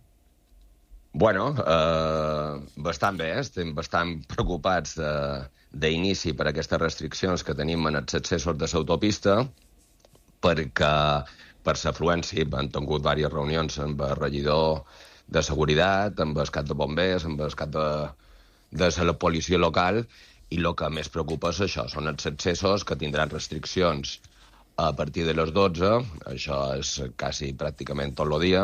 Bueno, eh, bastant bé, estem bastant preocupats d'inici per aquestes restriccions que tenim en els accessos de l'autopista, perquè per l'afluència han tingut diverses reunions amb el regidor de seguretat, amb el cap de bombers, amb el cap de, de la policia local, i el que més preocupa és això, són els accessos que tindran restriccions a partir de les dotze, això és quasi pràcticament tot el dia,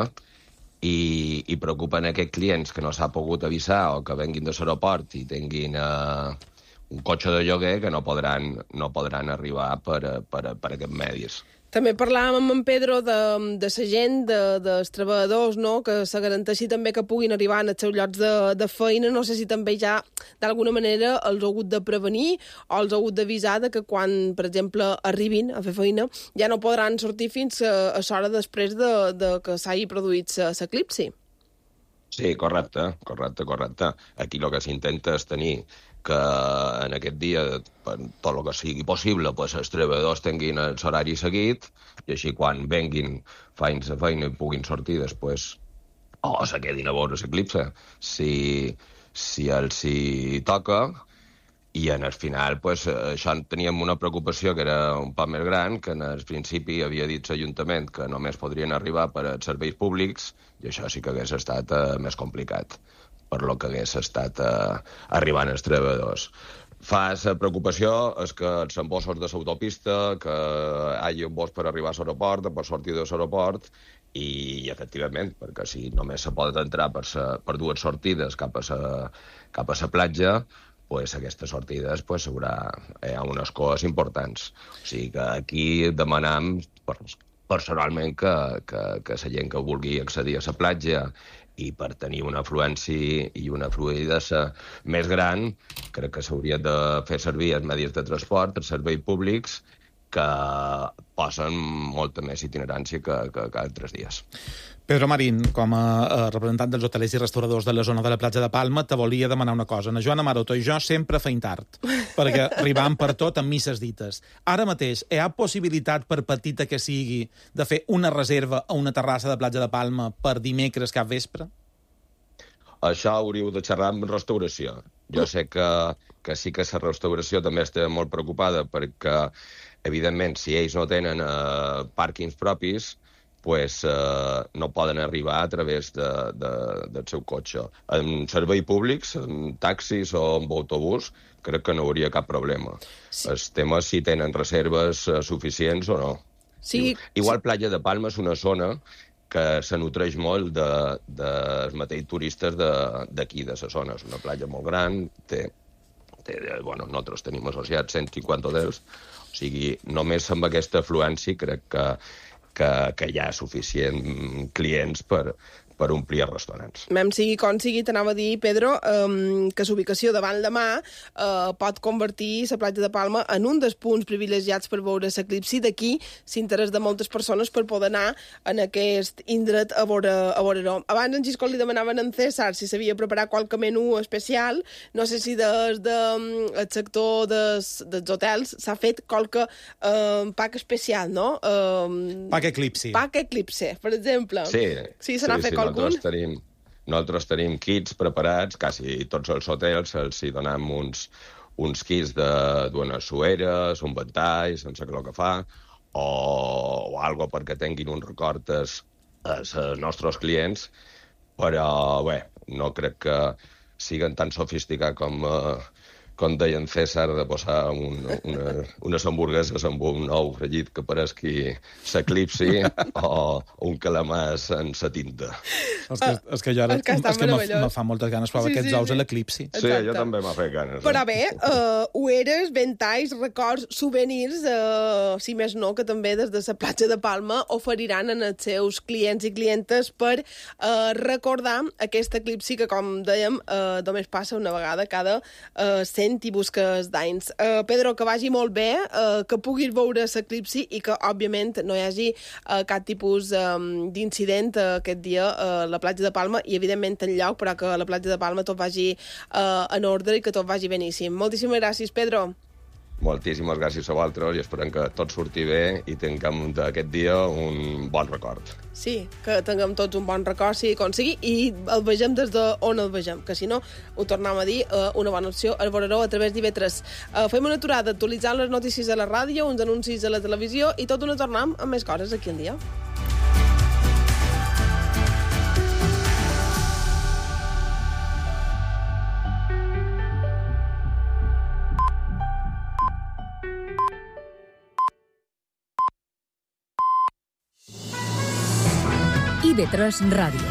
i, i preocupen aquests clients que no s'ha pogut avisar o que venguin de l'aeroport i tinguin eh, un cotxe de lloguer que no podran, no podran arribar per, per, per aquests medis. També parlàvem amb en Pedro de, de la gent, de, dels treballadors, no? Que se garanteixi també que puguin arribar als seus llocs de, de feina. No sé si també ja, d'alguna manera, els ha hagut de prevenir o els ha hagut d'avisar de que quan, per exemple, arribin a fer feina, ja no podran sortir fins a, a l'hora després de, de que s'hagi produït l'eclipsi. Sí, correcte, correcte, correcte. Aquí el que s'intenta és tenir que en aquest dia, per tot el que sigui possible, pues, els treballadors tinguin el horari seguit i així quan venguin, feien la feina i puguin sortir després o se quedin a veure l'eclipse si, si els hi toca. I en el final, pues, això teníem una preocupació que era un poc més gran, que en el principi havia dit l'Ajuntament que només podrien arribar per als serveis públics, i això sí que hagués estat eh, més complicat, per lo que hagués estat eh, arribant els treballadors. Fa la preocupació és que els embossos de l'autopista, que hi hagi un bos per arribar a l'aeroport, per sortir de l'aeroport, i efectivament, perquè si només se pot entrar per, sa, per dues sortides cap a la, cap a la platja, pues aquestes sortides pues, haurà eh, unes coses importants. O sigui que aquí demanam personalment que, que, que la gent que vulgui accedir a la platja i per tenir una afluència i una fluïdesa més gran, crec que s'hauria de fer servir els medis de transport, els serveis públics, que posen molta més itinerància que, que, que altres dies. Pedro Marín, com a representant dels hotelers i restauradors de la zona de la platja de Palma, te volia demanar una cosa. Na Joana Maroto i jo sempre feim tard, perquè arribam per tot amb misses dites. Ara mateix, hi ha possibilitat, per petita que sigui, de fer una reserva a una terrassa de platja de Palma per dimecres cap vespre? Això hauríeu de xerrar amb restauració. Jo sé que, que sí que la restauració també està molt preocupada perquè, evidentment, si ells no tenen eh, pàrquings propis, pues, eh, no poden arribar a través de, de, del seu cotxe. En serveis públics, en taxis o en autobús, crec que no hauria cap problema. Sí. El tema és si tenen reserves eh, suficients o no. Sí. Igual Platja de Palma és una zona que se nutreix molt de, de, dels mateixos turistes d'aquí, de, de la zona. És una platja molt gran, té, té, bueno, nosaltres tenim associats cent cinquanta hotels, o sigui, només amb aquesta afluència crec que, que, que hi ha suficient clients per, per omplir els restaurants. Mem sigui com sigui, t'anava a dir, Pedro, um, que l'ubicació davant la mà uh, pot convertir la platja de Palma en un dels punts privilegiats per veure l'eclipsi. D'aquí s'interès de moltes persones per poder anar en aquest indret a veure, a veure-ho. Abans en Giscol li demanaven a en César si sabia preparar qualque menú especial. No sé si des del de, sector des, dels hotels s'ha fet qualque uh, pack especial, no? Uh, pack eclipsi. Pack eclipsi, per exemple. Sí, sí, se n'ha sí, fet sí. Algun? Nosaltres tenim, nosaltres tenim kits preparats, quasi tots els hotels els hi donem uns, uns kits d'unes sueres, un ventall, sense el que fa, o, o algo perquè tinguin un record als, als nostres clients, però bé, no crec que siguin tan sofisticats com, uh, com deia en César, de posar un, una, unes hamburgueses amb un ou fregit que pareixi s'eclipsi o un calamàs en sa tinta. És que, és que jo ara, és que, és que me fa moltes ganes provar sí, aquests sí, ous sí. a l'eclipsi. Sí, jo també m'ha fet ganes. Però bé, uh, ueres, ventalls, records, souvenirs, uh, si més no, que també des de la platja de Palma oferiran en els seus clients i clientes per uh, recordar aquest eclipsi que, com dèiem, uh, només passa una vegada cada uh, cent i busques d'anys. Uh, Pedro, que vagi molt bé, uh, que puguis veure l'eclipsi i que, òbviament, no hi hagi uh, cap tipus um, d'incident uh, aquest dia uh, a la platja de Palma i, evidentment, en lloc, però que a la platja de Palma tot vagi uh, en ordre i que tot vagi beníssim. Moltíssimes gràcies, Pedro. Moltíssimes gràcies a vosaltres i esperem que tot surti bé i tinguem d'aquest dia un bon record. Sí, que tinguem tots un bon record, si aconseguir, i el vegem des d'on el vegem, que si no, ho tornem a dir, uh, una bona opció, el veureu a través d'I V tres. Uh, fem una aturada actualitzant les notícies a la ràdio, uns anuncis a la televisió i tot una tornem amb més coses aquí al dia. I V tres Ràdio.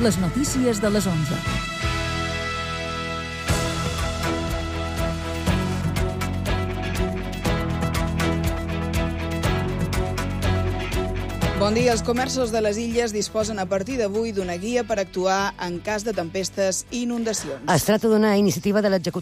Les notícies de les onze. Bon dia. Els comerços de les illes disposen a partir d'avui d'una guia per actuar en cas de tempestes i inundacions. Es tracta d'una iniciativa de l'executiu